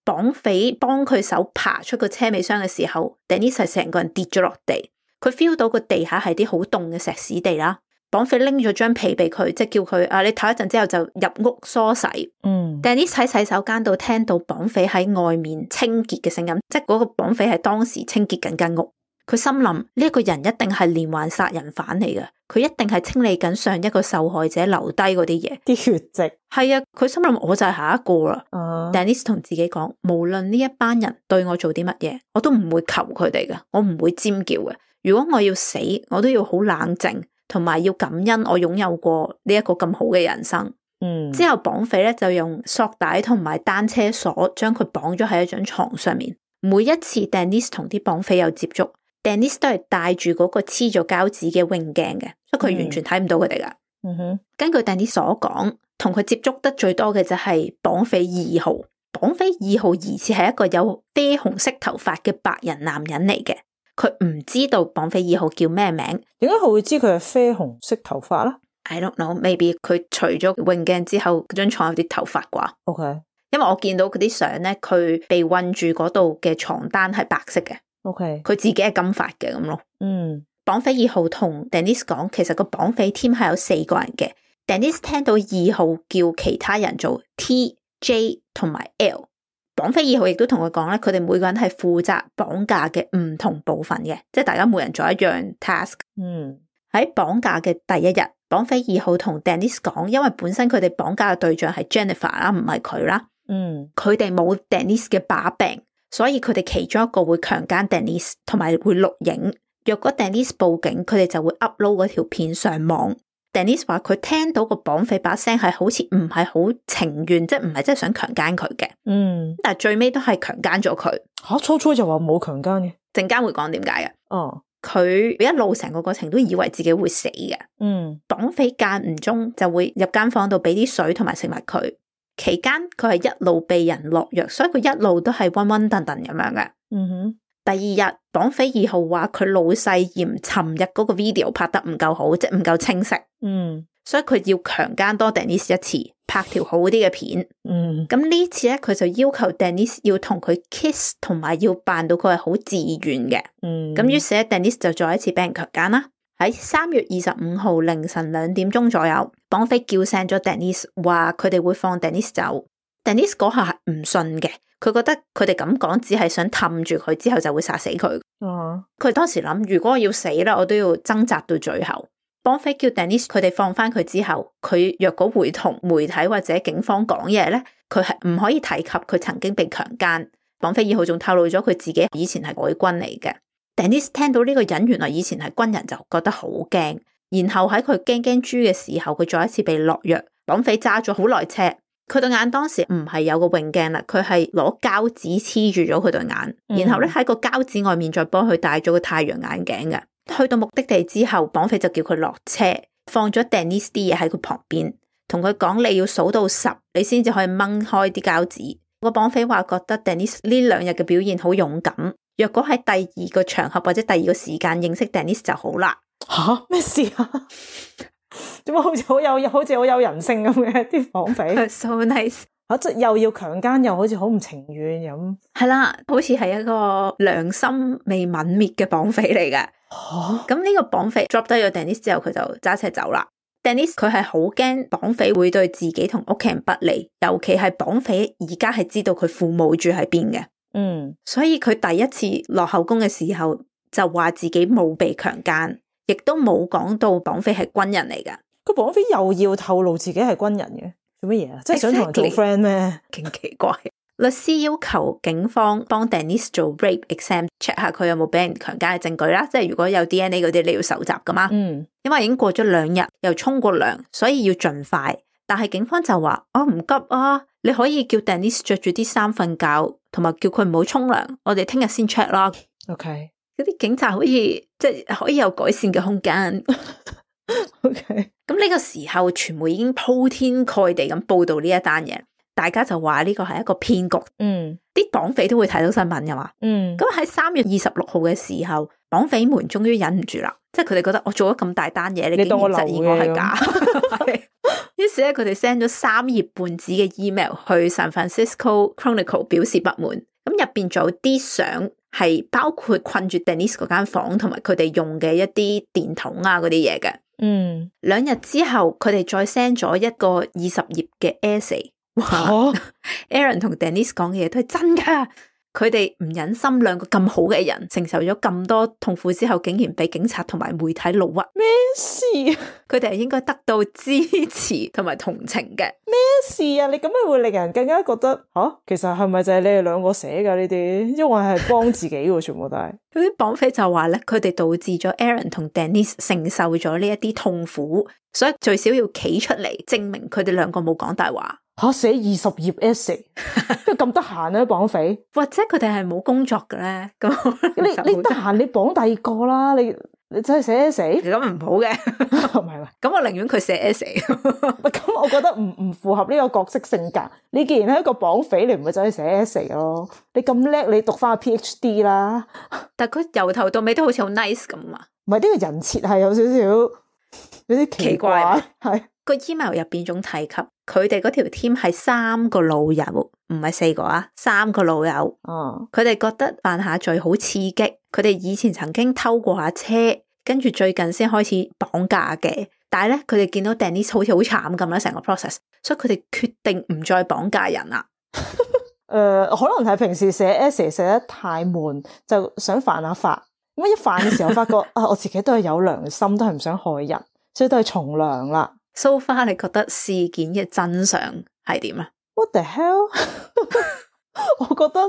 綁匪幫佢手爬出個車尾箱嘅時候 ，Denise 係成個人跌咗落地，佢 feel 到個地下係啲好凍嘅石屎地啦，綁匪拎咗張被俾佢，即係叫佢啊，你唞一陣之後就入屋梳洗。嗯 Denise 喺洗手間度聽到綁匪喺外面清潔嘅聲音，即係嗰個綁匪係當時清潔緊間屋。佢心諗呢一個人一定係連環殺人犯嚟嘅，佢一定係清理緊上一個受害者留低嗰啲嘢，啲血跡。係啊，佢心諗我就係下一個啦。Uh, Denise 同自己講，無論呢一班人對我做啲乜嘢，我都唔會求佢哋嘅，我唔會尖叫嘅。如果我要死，我都要好冷靜，同埋要感恩我擁有過呢一個咁好嘅人生。嗯，之後綁匪咧就用索帶同埋單車鎖將佢綁咗喺一張床上面。每一次 Denise 同啲綁匪有接觸，Denise 都係戴住嗰個黐咗膠紙嘅泳鏡嘅，所以佢完全睇唔到佢哋噶。嗯哼，根據 Denise 所講，同佢接觸得最多嘅就係綁匪二號。綁匪二號疑似係一個有啡紅色頭髮嘅白人男人嚟嘅，佢唔知道綁匪二號叫咩名。點解佢會知佢係啡紅色頭髮咧？ I don't know, maybe 佢除咗泳鏡之後，嗰張床有啲頭髮啩。OK，因為我見到嗰啲相咧，佢被困住嗰度嘅床單係白色嘅。OK，佢自己係金髮嘅咁咯。嗯，綁匪二號同 Denise 講，其實個綁匪 team 係有四個人嘅。Denise 聽到二號叫其他人做 T、J 同埋 L。綁匪二號亦都同佢講咧，佢哋每個人係負責綁架嘅唔同部分嘅，即係大家每人做一樣 task。嗯，喺綁架嘅第一日，綁匪二號同 Denise 講，因為本身佢哋綁架嘅對象係 Jennifer 啦，唔係佢啦。嗯，佢哋冇 Denise 嘅把柄，所以佢哋其中一個會強姦 Denise， 同埋會錄影。若果 Denise 報警，佢哋就會 upload 嗰條片上網。Denise 話佢聽到個綁匪把聲係好似唔係好情願，即係唔係真係想強姦佢嘅。嗯，但係最尾都係強姦咗佢。吓，初初就話冇強姦嘅，陣間會講點解嘅。哦，佢一路成個過程都以為自己會死嘅。嗯，綁匪間唔中就會入間房度俾啲水同埋食物佢。期間佢係一路被人落藥，所以佢一路都係溫溫頓頓咁樣嘅。嗯哼。第二日，綁匪二號話佢老細嫌尋日嗰個 video 拍得唔夠好，即係唔夠清晰。嗯，所以佢要強姦多 Denise 一次，拍條好啲嘅片。嗯，咁呢次咧，佢就要求 Denise 要同佢 kiss， 同埋要扮到佢係好自願嘅。嗯，咁於是咧 Denise 就再一次俾人強姦啦。喺三月二十五號凌晨兩點鐘左右，綁匪叫醒咗 Denise， 話佢哋會放 Denise 走。Denise 嗰下係唔信嘅。佢覺得佢哋咁講只係想氹住佢，之後就會殺死佢。哦，佢當時諗，如果我要死啦，我都要掙扎到最後。綁匪叫 Denise 佢哋放翻佢之後，佢若果會同媒體或者警方講嘢咧，佢係唔可以提及佢曾經被強姦。綁匪二號仲透露咗佢自己以前係海軍嚟嘅。Denise 聽到呢個人原來以前係軍人，就覺得好驚。然後喺佢驚驚豬嘅時候，佢再一次被落藥。綁匪揸咗好耐車。佢對眼當時唔係有個泳鏡啦，佢係攞膠紙黐住咗佢對眼，嗯、然後咧喺個膠紙外面再幫佢戴咗個太陽眼鏡嘅。去到目的地之後，綁匪就叫佢落車，放咗 Denise 啲嘢喺佢旁邊，同佢講你要數到十，你先至可以掹開啲膠紙。個綁匪話覺得 Denise 呢兩日嘅表現好勇敢，若果喺第二個場合或者第二個時間認識 Denise 就好啦。吓，咩事啊？點解好似好有好似好有人性咁嘅啲綁匪？So nice 啊！即又要強姦，又好似好唔情願咁。係啦，好似係一個良心未泯滅嘅綁匪嚟嘅。吓，咁呢個綁匪 drop 低咗 Denise 之後，佢就揸車走啦。Denise 佢係好驚綁匪會對自己同屋企人不利，尤其係綁匪而家係知道佢父母住喺邊嘅。嗯，所以佢第一次落口供嘅時候就話自己冇被強姦。亦都冇講到綁匪係軍人嚟噶，個綁匪又要透露自己係軍人嘅，做乜嘢啊？即係想同人做 friend 咩？勁奇怪。律師要求警方幫 Denise 做 rape exam，check 下佢有冇俾人強姦嘅證據啦。即係如果有 D N A 嗰啲，你要搜集噶嘛。嗯，因為已經過咗兩日，又沖過涼，所以要盡快。但係警方就話：我唔急啊，你可以叫 Denise 着住啲衫瞓覺，同埋叫佢唔好沖涼。我哋聽日先 check 啦。OK。嗰啲警察好似即係可以有改善嘅空間。OK，咁呢個時候，傳媒已經鋪天蓋地咁報道呢一單嘢，大家就話呢個係一個騙局。嗯，啲綁匪都會睇到新聞噶嘛。嗯，咁喺三月二十六號嘅時候，綁匪們終於忍唔住啦，即係佢哋覺得我做咗咁大單嘢，你竟然質疑我係假。於是咧，佢哋 send 咗三頁半紙嘅 email 去 San Francisco Chronicle 表示不滿。咁入邊仲有啲相。係包括困住 Denise 嗰間房，同埋佢哋用嘅一啲電筒啊嗰啲嘢嘅。嗯，兩日之後佢哋再 send 咗一個二十頁嘅 essay， 哇 Aaron 同 Denise 講嘅嘢都係真噶。佢哋唔忍心兩個咁好嘅人承受咗咁多痛苦之後，竟然俾警察同埋媒體怒屈。咩事？佢哋係應該得到支持同埋同情嘅。咩事啊？你咁樣會令人更加覺得吓、啊，其實係咪就係你哋兩個寫噶呢啲？因為係幫自己嘅，全部都係。嗰啲綁匪就話咧，佢哋導致咗 Aaron 同 Denise 承受咗呢一啲痛苦，所以最少要企出嚟證明佢哋兩個冇講大話。吓，寫二十頁 essay， 邊咁得閒咧綁匪？或者佢哋係冇工作嘅咧？咁你你得閒你綁第二個啦，你你真係寫 essay， 咁唔好嘅，唔係嘛？咁我寧願佢寫 essay。咁我覺得唔唔符合呢個角色性格。你既然係一個綁匪，你唔會走去寫 essay 咯。你咁叻，你讀翻個 PhD 啦。但係佢由頭到尾都好似好 nice 咁啊。唔係，呢個人設係有少少有啲奇怪，係個 email 入邊仲提及佢哋嗰條 team 係三個老友，唔係四個啊，三個老友。哦，佢哋覺得犯下罪好刺激，佢哋以前曾經偷過下車，跟住最近先開始綁架嘅。但係咧，佢哋見到 Denise 好似好慘咁啦，成個 process， 所以佢哋決定唔再綁架人啦。誒、呃，可能係平時寫 essay 寫得太悶，就想犯下法。咁一犯嘅時候發覺啊，我自己都係有良心，都係唔想害人，所以都係從良啦。So far，你覺得事件嘅真相係點啊 ？What the hell？ 我覺得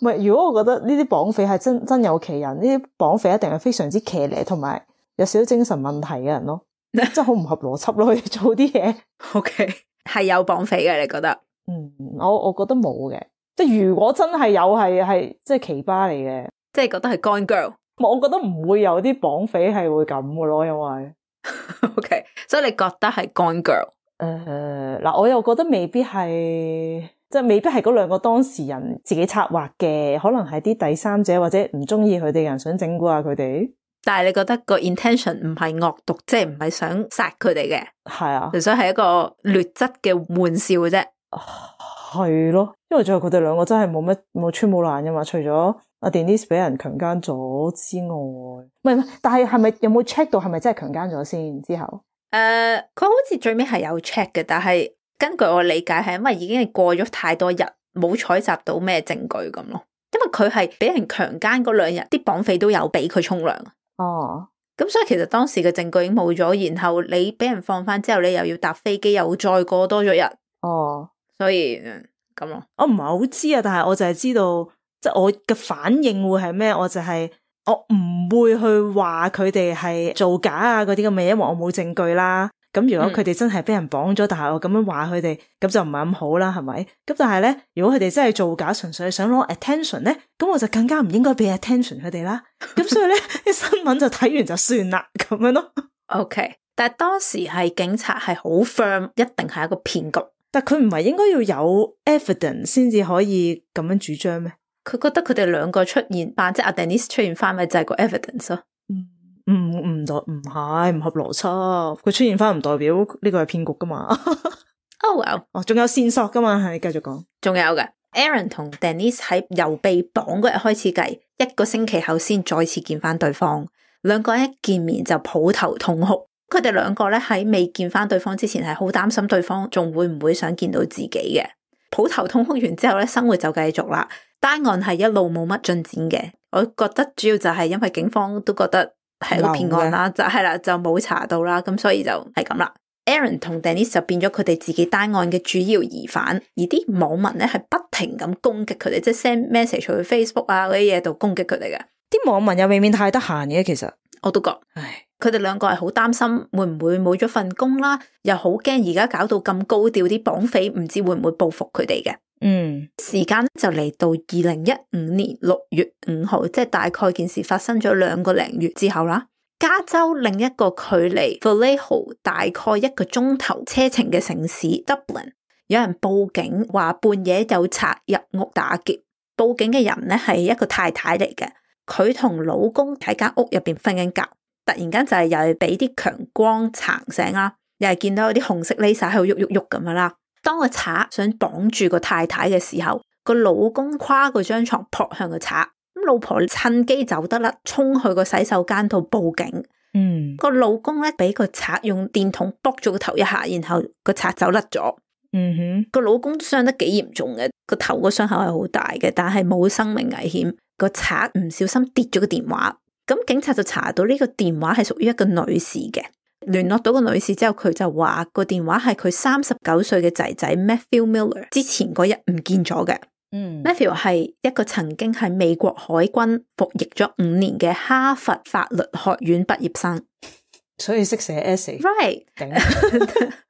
唔係，如果我覺得呢啲綁匪係真真有其人，呢啲綁匪一定係非常之騎呢，同埋有少少精神問題嘅人咯，真係好唔合邏輯咯，去做啲嘢。OK， 係有綁匪嘅，你覺得？嗯，我我覺得冇嘅，即係如果真係有，係係即係奇葩嚟嘅，即係覺得係 Gone Girl。我覺得唔會有啲綁匪係會咁嘅咯，因為。OK， 所以你覺得係 Gone Girl？ 誒，嗱，我又覺得未必係，即係未必係嗰兩個當事人自己策劃嘅，可能係啲第三者或者唔中意佢哋嘅人想整蠱下佢哋。但係你覺得個 intention 唔係惡毒，即係唔係想殺佢哋嘅？係啊，純粹係一個劣質嘅玩笑嘅啫。係咯，因為最後佢哋兩個真係冇乜冇穿冇爛噶嘛，除咗阿 Denise 俾人強姦咗之外，唔係唔係，但係係咪有冇 check 到係咪真係強姦咗先？之後誒，佢、呃、好似最尾係有 check 嘅，但係根據我理解係因為已經係過咗太多日，冇採集到咩證據咁咯。因為佢係俾人強姦嗰兩日，啲綁匪都有俾佢沖涼。哦，咁所以其實當時嘅證據已經冇咗，然後你俾人放翻之後，你又要搭飛機，又再過多咗日。哦，所以咁咯。我唔係好知啊，但係我就係知道。即係我嘅反應會係咩？我就係、是、我唔會去話佢哋係造假啊嗰啲咁嘅嘢，因為我冇證據啦。咁如果佢哋真係俾人綁咗，嗯、但係我咁樣話佢哋，咁就唔係咁好啦，係咪？咁但係咧，如果佢哋真係造假，純粹係想攞 attention 咧，咁我就更加唔應該俾 attention 佢哋啦。咁所以咧，啲新聞就睇完就算啦，咁樣咯。OK， 但係當時係警察係好 firm， 一定係一個騙局。但佢唔係應該要有 evidence 先至可以咁樣主張咩？佢覺得佢哋兩個出現，扮即係阿 Denise 出現翻，咪就係個 evidence 咯。唔唔唔代唔係唔合邏輯，佢出現翻唔代表呢個係騙局噶嘛。Oh well，哦，仲有線索噶嘛，係繼續講。仲有嘅 ，Aaron 同 Denise 喺由被綁嗰日開始計，一個星期後先再次見翻對方，兩個人一見面就抱頭痛哭。佢哋兩個咧喺未見翻對方之前，係好擔心對方仲會唔會想見到自己嘅。抱頭痛哭完之後咧，生活就繼續啦。單案係一路冇乜進展嘅，我覺得主要就係因為警方都覺得係個騙案啦，就係啦，就冇查到啦，咁所以就係咁啦。Aaron 同 Denise 就變咗佢哋自己單案嘅主要疑犯，而啲網民咧係不停咁攻擊佢哋，即係 send message 去 Facebook 啊嗰啲嘢度攻擊佢哋嘅。啲網民又未免太得閒嘅，其實我都覺，唉，佢哋兩個係好擔心會唔會冇咗份工啦，又好驚而家搞到咁高調，啲綁匪唔知會唔會報復佢哋嘅。嗯，時間就嚟到二零一五年六月五號，即係大概件事發生咗兩個零月之後啦。加州另一個距離 Vallejo 大概一個鐘頭車程嘅城市 Dublin， 有人報警話半夜有賊入屋打劫。報警嘅人咧係一個太太嚟嘅，佢同老公喺間屋入邊瞓緊覺，突然間就係又係俾啲強光撐醒啦，又係見到有啲紅色 laser 喺度喐喐喐咁樣啦。當個賊想綁住個太太嘅時候，個老公跨過張床撲向個賊，咁老婆趁機走得甩，衝去個洗手間度報警。嗯，個老公咧俾個賊用電筒卜咗個頭一下，然後個賊走甩咗。嗯哼，個老公傷得幾嚴重嘅，個頭個傷口係好大嘅，但係冇生命危險。個賊唔小心跌咗個電話，咁警察就查到呢個電話係屬於一個女士嘅。聯絡到個女士之後，佢就話個電話係佢三十九歲嘅仔仔 Matthew Miller 之前嗰日唔見咗嘅。嗯 Matthew 係一個曾經喺美國海軍服役咗五年嘅哈佛法律學院畢業生，所以識寫 essay。Right，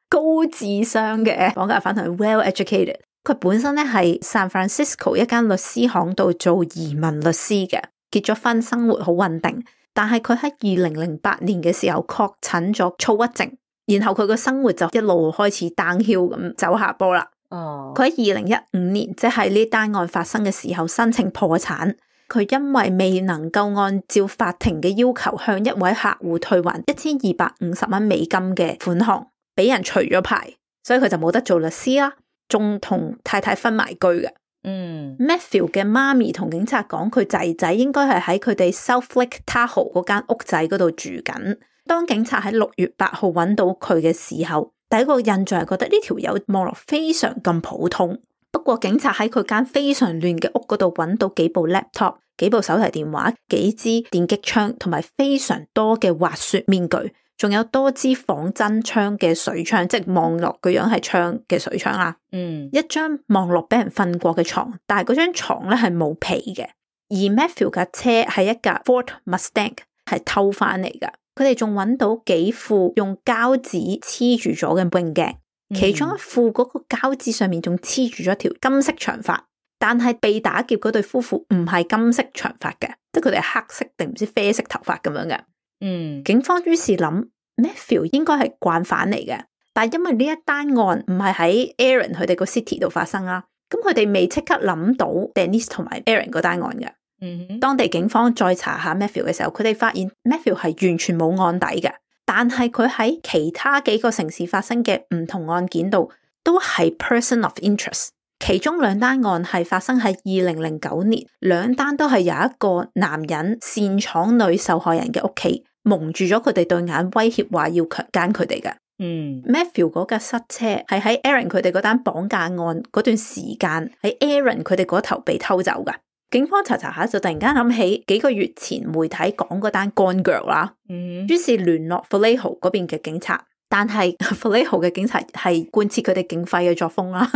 高智商嘅綁架犯同 well educated。佢本身咧係 San Francisco 一間律師行度做移民律師嘅，結咗婚，生活好穩定。但係佢喺二零零八年嘅時候確診咗躁鬱症，然後佢個生活就一路開始 downhill 咁走下坡啦。哦，佢喺二零一五年，即係呢單案發生嘅時候申請破產。佢因為未能夠按照法庭嘅要求向一位客戶退還一千二百五十蚊美金嘅款項，俾人除咗牌，所以佢就冇得做律師啦，仲同太太分埋居嘅。嗯 Matthew 嘅媽咪同警察講，佢仔仔應該係喺佢哋 South Lake Tahoe 嗰間屋仔嗰度住緊。當警察喺六月八號揾到佢嘅時候，第一個印象係覺得呢條友望落非常咁普通。不過警察喺佢間非常亂嘅屋嗰度揾到幾部 laptop、幾部手提電話、幾支電擊槍同埋非常多嘅滑雪面具，仲有多支仿真槍嘅水槍，即係望落個樣係槍嘅水槍啦。嗯，一張望落俾人瞓過嘅床，但係嗰張床咧係冇被嘅。而 Matthew 架車係一架 Ford Mustang， 係偷翻嚟噶。佢哋仲揾到幾副用膠紙黐住咗嘅泳鏡，其中一副嗰個膠紙上面仲黐住咗條金色長髮，但係被打劫嗰對夫婦唔係金色長髮嘅，即係佢哋係黑色定唔知啡色頭髮咁樣嘅。嗯，警方於是諗 Matthew 應該係慣犯嚟嘅，但係因為呢一單案唔係喺 Aaron 佢哋個 city 度發生啦，咁佢哋未即刻諗到 Denise 同埋 Aaron 嗰單案嘅。嗯，當地警方再查下 Matthew 嘅時候，佢哋發現 Matthew 係完全冇案底嘅，但係佢喺其他幾個城市發生嘅唔同案件度都係 person of interest。其中兩單案係發生喺二零零九年，兩單都係有一個男人擅闖女受害人嘅屋企，蒙住咗佢哋對眼，威脅話要強姦佢哋嘅。嗯 Matthew 嗰架塞車係喺 Aaron 佢哋嗰單綁架案嗰段時間喺 Aaron 佢哋嗰頭被偷走噶。警方查查下就突然間諗起幾個月前媒體講嗰單 Gone Girl 啦，嗯，於是聯絡 Vallejo 嗰邊嘅警察，但係 Vallejo 嘅警察係貫徹佢哋警匪嘅作風啦，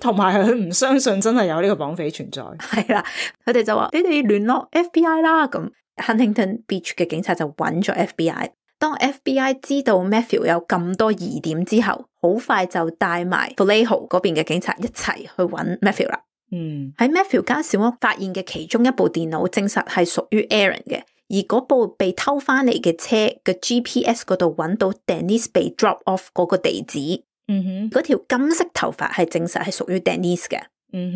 同埋佢唔相信真係有呢個綁匪存在。係啦，佢哋就話你哋聯絡 F B I 啦，咁 Huntington Beach 嘅警察就揾咗 F B I。當 F B I 知道 Matthew 有咁多疑點之後，好快就帶埋 Vallejo 嗰邊嘅警察一齊去揾 Matthew 啦。嗯，喺 Matthew 間小屋發現嘅其中一部電腦證實係屬於 Aaron 嘅，而嗰部被偷翻嚟嘅車嘅 G P S 嗰度揾到 Denise 被 drop off 嗰個地址，嗯哼，嗰條金色頭髮係證實係屬於 Denise 嘅。嗯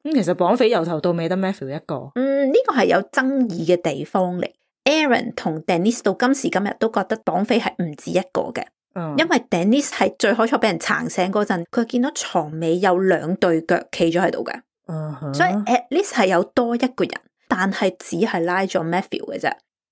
哼，咁其實綁匪由頭到尾得 Matthew 一個。嗯，呢個係有爭議嘅地方嚟。Aaron 同 Denise 到今時今日都覺得綁匪係唔止一個嘅。嗯，因為 Denise 係最開初俾人撐醒嗰陣，佢見到床尾有兩對腳企咗喺度嘅。嗯哼，所以 at least 係有多一個人，但係只係拉咗 Matthew 嘅啫。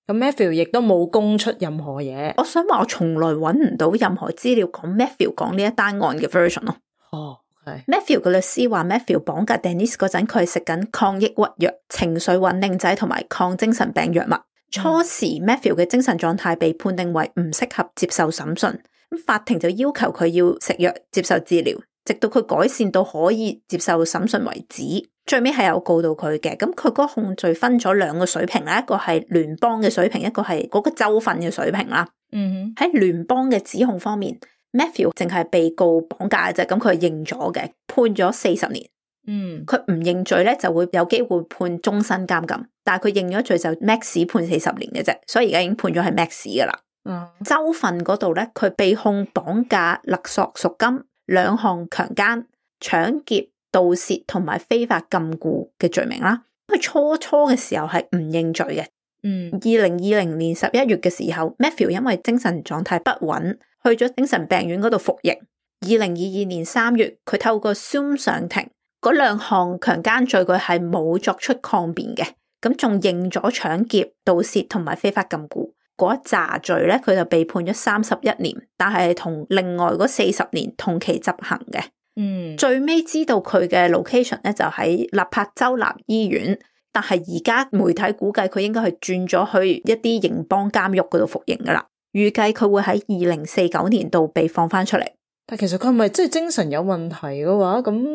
咁 Matthew 亦都冇供出任何嘢。我想話我從來揾唔到任何資料講 Matthew 講呢一單案嘅 version 咯。哦，係。Matthew 嘅律師話 Matthew 綁架 Denise 嗰陣，佢係食緊抗抑鬱藥、情緒穩定劑同埋抗精神病藥物。初時 Matthew 嘅精神狀態被判定為唔適合接受審訊，咁法庭就要求佢要食藥接受治療，直到佢改善到可以接受審訊為止。最尾係有告到佢嘅，咁佢嗰個控罪分咗兩個水平啦，一個係聯邦嘅水平，一個係嗰個州份嘅水平啦。嗯哼，喺聯邦嘅指控方面 ，Matthew 淨係被告綁架嘅啫，咁佢係認咗嘅，判咗四十年。嗯，佢唔認罪咧，就會有機會判終身監禁，但係佢認咗罪就 max 判四十年嘅啫，所以而家已經判咗係 max 噶啦。嗯，州份嗰度咧，佢被控綁架、勒索贖金、兩項強姦、搶劫、盜竊同埋非法禁錮嘅罪名啦。佢初初嘅時候係唔認罪嘅。嗯，二零二零年十一月嘅時候 ，Matthew 因為精神狀態不穩，去咗精神病院嗰度服刑。二零二二年三月，佢透過 Zoom 上庭。嗰兩項強姦罪佢係冇作出抗辯嘅，咁仲認咗搶劫、盜竊同埋非法禁錮。嗰一紮罪咧，佢就被判咗三十一年，但係同另外嗰四十年同期執行嘅。嗯，最尾知道佢嘅 location 咧就喺納柏州立醫院，但係而家媒體估計佢應該係轉咗去一啲刑邦監獄嗰度服刑噶啦，預計佢會喺二零四九年度被放翻出嚟。但其實佢係咪即係精神有問題嘅話，咁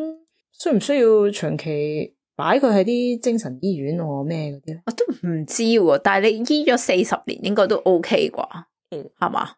需唔需要長期擺佢喺啲精神醫院或咩嗰啲咧？我都唔知喎，但係你醫咗四十年應該都 OK 啩？係嘛？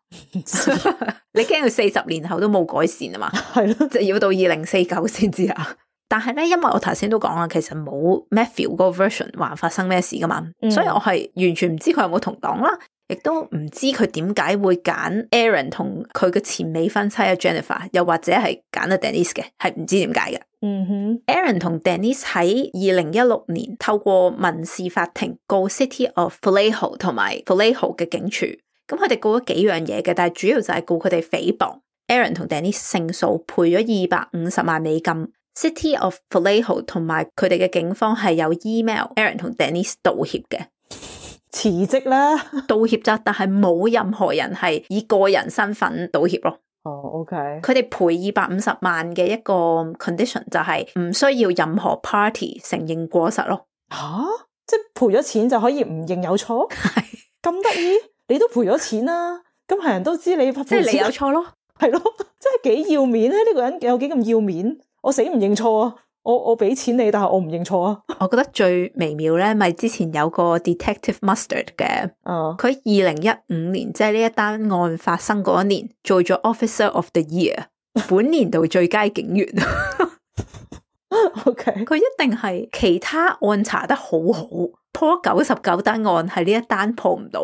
你驚佢四十年後都冇改善啊嘛？係咯，就要到二零四九先知啊。但係咧，因為我頭先都講啦，其實冇 Matthew 嗰個 version 話發生咩事噶嘛，嗯、所以我係完全唔知佢有冇同黨啦，亦都唔知佢點解會揀 Aaron 同佢嘅前未婚妻啊 Jennifer， 又或者係揀阿 Denise 嘅，係唔知點解嘅。嗯哼 ，Aaron 同 Denise 喺二零一六年透過民事法庭告 City of Vallejo 同埋 Vallejo 嘅警署。咁佢哋告咗幾樣嘢嘅，但係主要就係告佢哋誹謗。Aaron 同 Denise 勝訴，賠咗二百五十萬美金。City of Vallejo 同埋佢哋嘅警方係有 email Aaron 同 Denise 道歉嘅，辭職啦，道歉咋，但係冇任何人係以個人身份道歉咯。哦、oh, ，OK，佢哋賠二百五十萬嘅一個 condition 就係唔需要任何 party 承認過失咯。吓、啊，即係賠咗錢就可以唔認有錯？係咁得意？你都賠咗錢啦，咁係人都知你賠錢，即係你有錯咯，係咯，真係幾要面咧！呢、這個人有幾咁要面？我死唔認錯啊！我我俾錢你，但係我唔認錯啊！我覺得最微妙咧，咪之前有個 Detective Mustard 嘅，佢二零一五年即係呢一單案發生嗰一年，做咗 Officer of the Year， 本年度最佳警員。OK，佢一定係其他案查得好好，破咗九十九單案，係呢一單破唔到，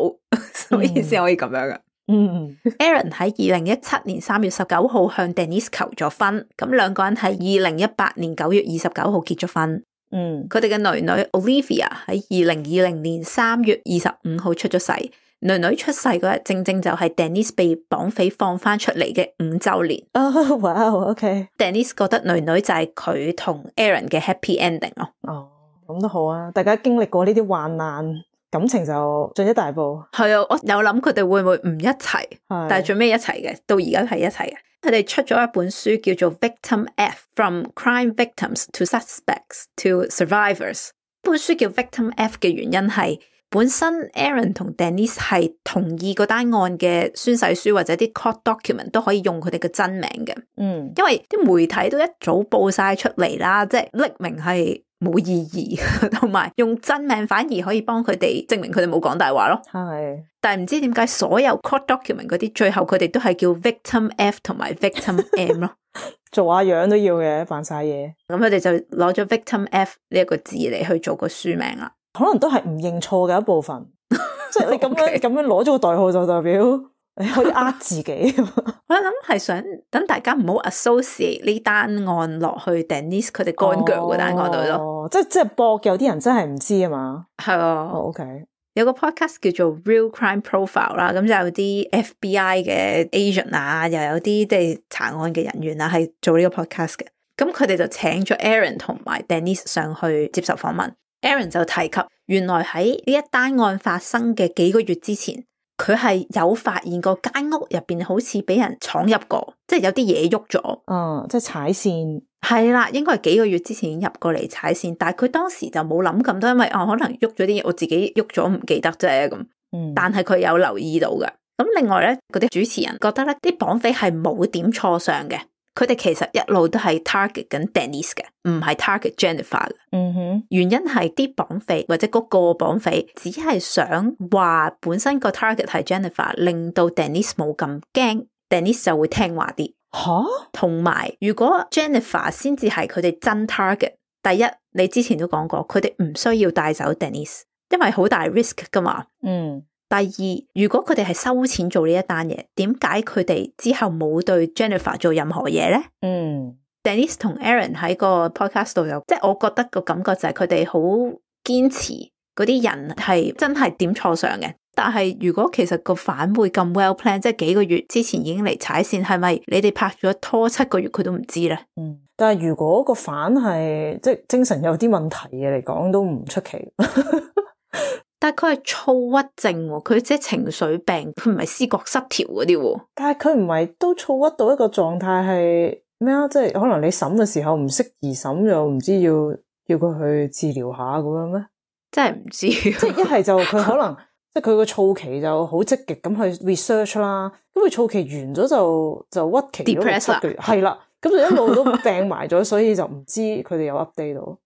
所以先可以咁樣嘅。嗯，Aaron 喺二零一七年三月十九號向 Denise 求咗婚，咁兩個人喺二零一八年九月二十九號結咗婚。嗯，佢哋嘅女女 Olivia 喺二零二零年三月二十五號出咗世。女女出世嗰日正正就係 Denise 被綁匪放翻出嚟嘅五周年。哦，哇 ，OK。Denise 覺得女女就係佢同 Aaron 嘅 happy ending 咯。哦，咁都好啊，大家經歷過呢啲患難，感情就進一大步。係啊，我有諗佢哋會唔會唔一齊，但係最尾一齊嘅，到而家係一齊嘅。佢哋出咗一本書叫做 Victim F From Crime Victims to Suspects to Survivors。本書叫 Victim F 嘅原因係本身 Aaron 同 Denise 係同意嗰單案嘅宣誓書或者啲 court document 都可以用佢哋嘅真名嘅。嗯，因為啲媒體都一早報晒出嚟啦，即係匿名係冇意義，同埋用真名反而可以幫佢哋證明佢哋冇講大話咯。係，但係唔知點解所有 court document 嗰啲最後佢哋都係叫 Victim F 同埋 Victim M 咯。做下樣都要嘅，扮晒嘢。咁佢哋就攞咗 Victim F 呢一個字嚟去做個書名啦。可能都係唔認錯嘅一部分，即係你咁樣咁 Okay. 樣攞咗個代號就代表你可以呃自己。我諗係想等大家唔好 associate 呢單案落去 Denise 佢哋乾腳嗰單案度咯。哦，即係即係博有啲人真係唔知啊嘛。係啊。哦 OK，有個 podcast 叫做 Real Crime Profile 啦，咁就有啲 F B I 嘅 agent 啊，又有啲即係查案嘅人員啊，係做呢個 podcast 嘅。咁佢哋就請咗 Aaron 同埋 Denise 上去接受訪問。Aaron 就提及，原來喺呢一單案發生嘅幾個月之前，佢係有發現過間屋入邊好似俾人闖入過，即係有啲嘢喐咗。嗯，即係踩線。係啦，應該係幾個月之前已經入過嚟踩線，但係佢當時就冇諗咁多，因為哦可能喐咗啲嘢，我自己喐咗唔記得啫咁。嗯，但係佢有留意到嘅。咁另外咧，嗰啲主持人覺得咧，啲綁匪係冇點錯上嘅。佢哋其實一路都係 target 緊 Denise 嘅，唔係 target Jennifer 嘅。嗯哼，原因係啲綁匪或者嗰個綁匪只係想話本身個 target 係 Jennifer， 令到 Denise 冇咁驚 ，Denise 就會聽話啲。吓，同埋如果 Jennifer 先至係佢哋真 target， 第一你之前都講過，佢哋唔需要帶走 Denise， 因為好大 risk 噶嘛。嗯。第二，如果佢哋係收錢做呢一單嘢，點解佢哋之後冇對 Jennifer 做任何嘢咧？嗯 ，Denise 同 Aaron 喺個 podcast 度有，即係我覺得個感覺就係佢哋好堅持嗰啲人係真係點錯上嘅。但係如果其實個反會咁 well plan， 即係幾個月之前已經嚟踩線，係咪你哋拍咗拖七個月佢都唔知咧？嗯，但係如果個反係即係精神有啲問題嘅嚟講，都唔出奇。但係佢係躁鬱症，佢即係情緒病，佢唔係思覺失調嗰啲。但係佢唔係都躁鬱到一個狀態係咩啊？即係可能你審嘅時候唔適宜審，又唔知要要佢去治療下咁樣咩？真係唔知。即係一係就佢可能即係佢個躁期就好積極咁去 research 啦，咁佢躁期完咗就就鬱期咗六七個月，係啦，咁就一路都病埋咗，所以就唔知佢哋有 update 到。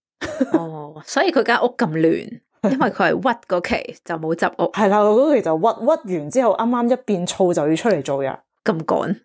哦，所以佢間屋咁亂。因為佢係鬱嗰期就冇執屋，係啦，嗰期就鬱鬱完之後，啱啱一變燥就要出嚟做嘢，咁趕。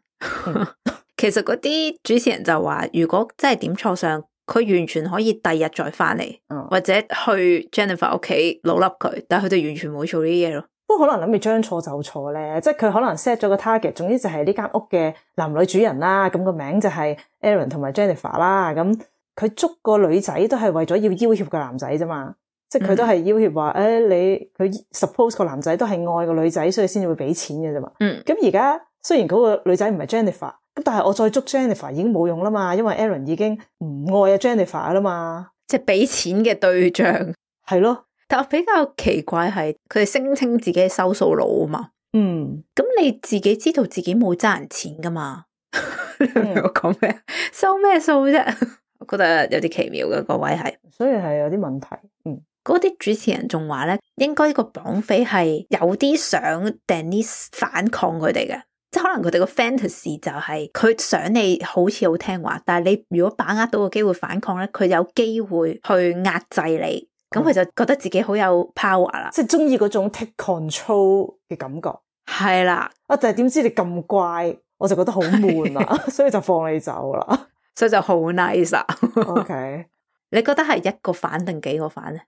其實嗰啲主持人就話，如果真係點錯相，佢完全可以第日再翻嚟，嗯、或者去 Jennifer 屋企老笠佢，但係佢哋完全冇做呢啲嘢咯。不過可能諗住將錯就錯咧，即係佢可能 set 咗個 target，總之就係呢間屋嘅男女主人啦，咁個名就係 Aaron 同埋 Jennifer 啦，咁佢捉個女仔都係為咗要要挾個男仔啫嘛。即係佢都係要挾話，誒、哎，你佢 suppose 個男仔都係愛個女仔，所以先至會俾錢嘅啫嘛。嗯。咁而家雖然嗰個女仔唔係 Jennifer，咁但係我再捉 Jennifer 已經冇用啦嘛，因為 Aaron 已經唔愛阿 Jennifer 啦嘛。即係俾錢嘅對象係咯。但我比較奇怪係，佢哋聲稱自己係收數佬啊嘛。嗯。咁你自己知道自己冇爭人錢噶嘛？你明我講咩？收咩數啫？我覺得有啲奇妙嘅個位係，所以係有啲問題。嗯。嗰啲主持人仲話咧，應該個綁匪係有啲想 Denise 反抗佢哋嘅，即係可能佢哋個 fantasy 就係佢想你好似好聽話，但係你如果把握到個機會反抗咧，佢有機會去壓制你，咁佢就覺得自己好有 power 啦，即係中意嗰種 take control 嘅感覺。係啦，啊，但係點知你咁乖，我就覺得好悶啊，所以就放你走啦，所以就好 nice 啊。OK，你覺得係一個反定幾個反咧？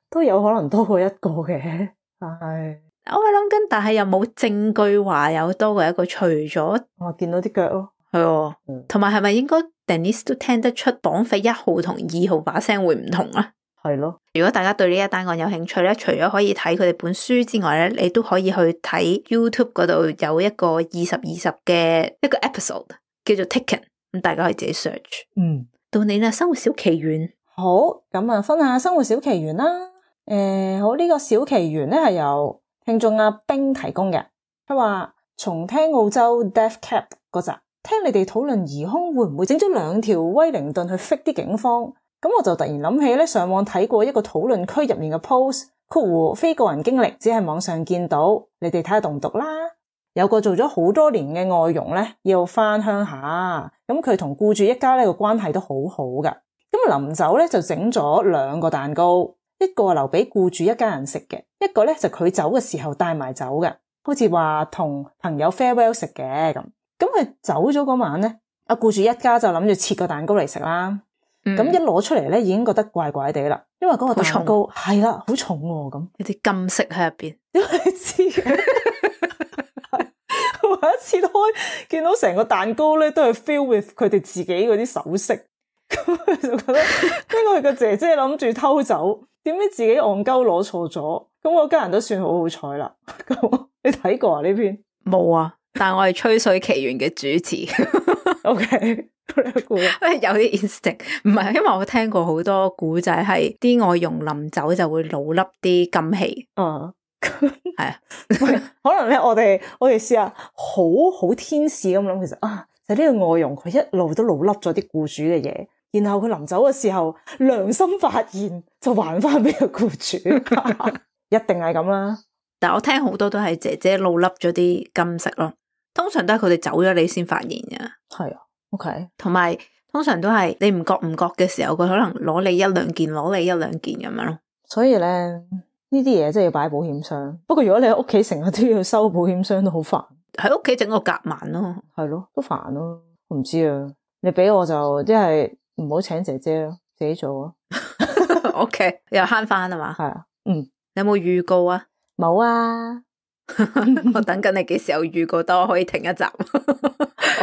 都有可能多過一個嘅，但係我係諗緊，但係又冇證據話有多過一個，除咗我見到啲腳咯，係，同埋係咪應該 Denise 都聽得出綁匪一號同二號把聲會唔同啊？係咯，如果大家對呢一單案有興趣咧，除咗可以睇佢哋本書之外咧，你都可以去睇 YouTube 嗰度有一個二十二十嘅一個 episode 叫做 Taken， 咁大家可以自己 search。嗯，到你啦，生活小奇緣。好，咁啊，分下生活小奇緣啦。誒、呃，好，呢、這個小奇緣咧係由聽眾阿冰提供嘅。佢話從聽澳洲 Death Cap 嗰集，聽你哋討論疑兇會唔會整咗兩條威靈頓去 fake 啲警方，咁我就突然諗起咧，上網睇過一個討論區入面嘅 post， 括弧非個人經歷，只係網上見到，你哋睇下讀唔讀啦。有個做咗好多年嘅外傭咧，要翻鄉下，咁佢同僱主一家咧個關係都好好噶。咁臨走咧就整咗兩個蛋糕。一個留俾僱主一家人食嘅，一個咧就佢走嘅時候帶埋走嘅，好似話同朋友 farewell 食嘅咁。咁佢走咗嗰晚咧，阿僱主一家就諗住切個蛋糕嚟食啦。咁、嗯、一攞出嚟咧，已經覺得怪怪地啦，因為嗰個蛋糕係啦，好重喎，咁有啲金色喺入邊。因為你知嘅，我一切開見到成個蛋糕咧，都係 fill with 佢哋自己嗰啲首飾，咁佢就覺得因為個姐姐諗住偷走。點解自己戇鳩攞錯咗？咁我家人都算好好彩啦。咁你睇過啊呢篇？冇啊，但係我係吹水奇緣嘅主持。O K，有啲 instinct， 唔係，因為我聽過好多古仔，係啲外傭臨走就會老笠啲金器。嗯，係啊，可能咧，我哋我哋試下好好天使咁諗，其實啊，就呢、是、個外傭佢一路都老笠咗啲僱主嘅嘢。然後佢臨走嘅時候良心發現，就還翻俾個僱主，一定係咁啦。但係我聽好多都係姐姐老笠咗啲金飾咯，通常都係佢哋走咗你先發現嘅。係啊 ，OK。同埋通常都係你唔覺唔覺嘅時候，佢可能攞你一兩件，攞你一兩件咁樣咯。所以咧，呢啲嘢真係要擺喺保險箱。不過如果你喺屋企成日都要收保險箱，都好煩。喺屋企整個夾萬咯，係咯，都煩咯。我唔知啊，你俾我就即係。唔好請姐姐咯，自己做啊。O K， 又慳翻啊嘛。係啊，嗯，你有冇預告啊？冇啊。我等緊你幾時有預告，等我可以停一集。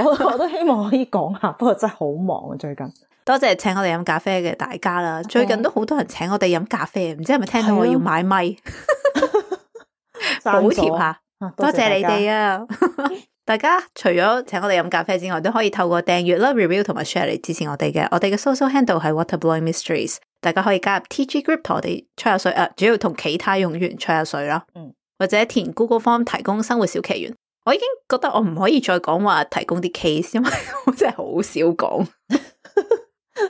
我我都希望可以講下，不過真係好忙啊最近。多謝請我哋飲咖啡嘅大家啦。最近都好多人請我哋飲咖啡，唔知係咪聽到我要買咪？補貼下，多謝你哋啊！大家除咗請我哋飲咖啡之外，都可以透過訂閱啦、review 同埋 share 嚟支持我哋嘅。我哋嘅 social handle 係 Waterblowing Mysteries，大家可以加入 T G Group 同我哋吹下水啊，主要同其他用戶吹下水啦。嗯，或者填 Google Form 提供生活小奇懸。我已經覺得我唔可以再講話提供啲 case，因為我真係好少講，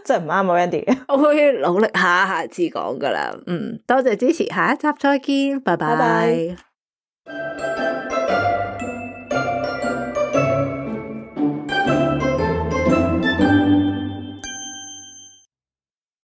真係唔啱我 Wendy。我會努力下下次講噶啦。嗯，多謝支持，下一集再見，拜拜。拜拜。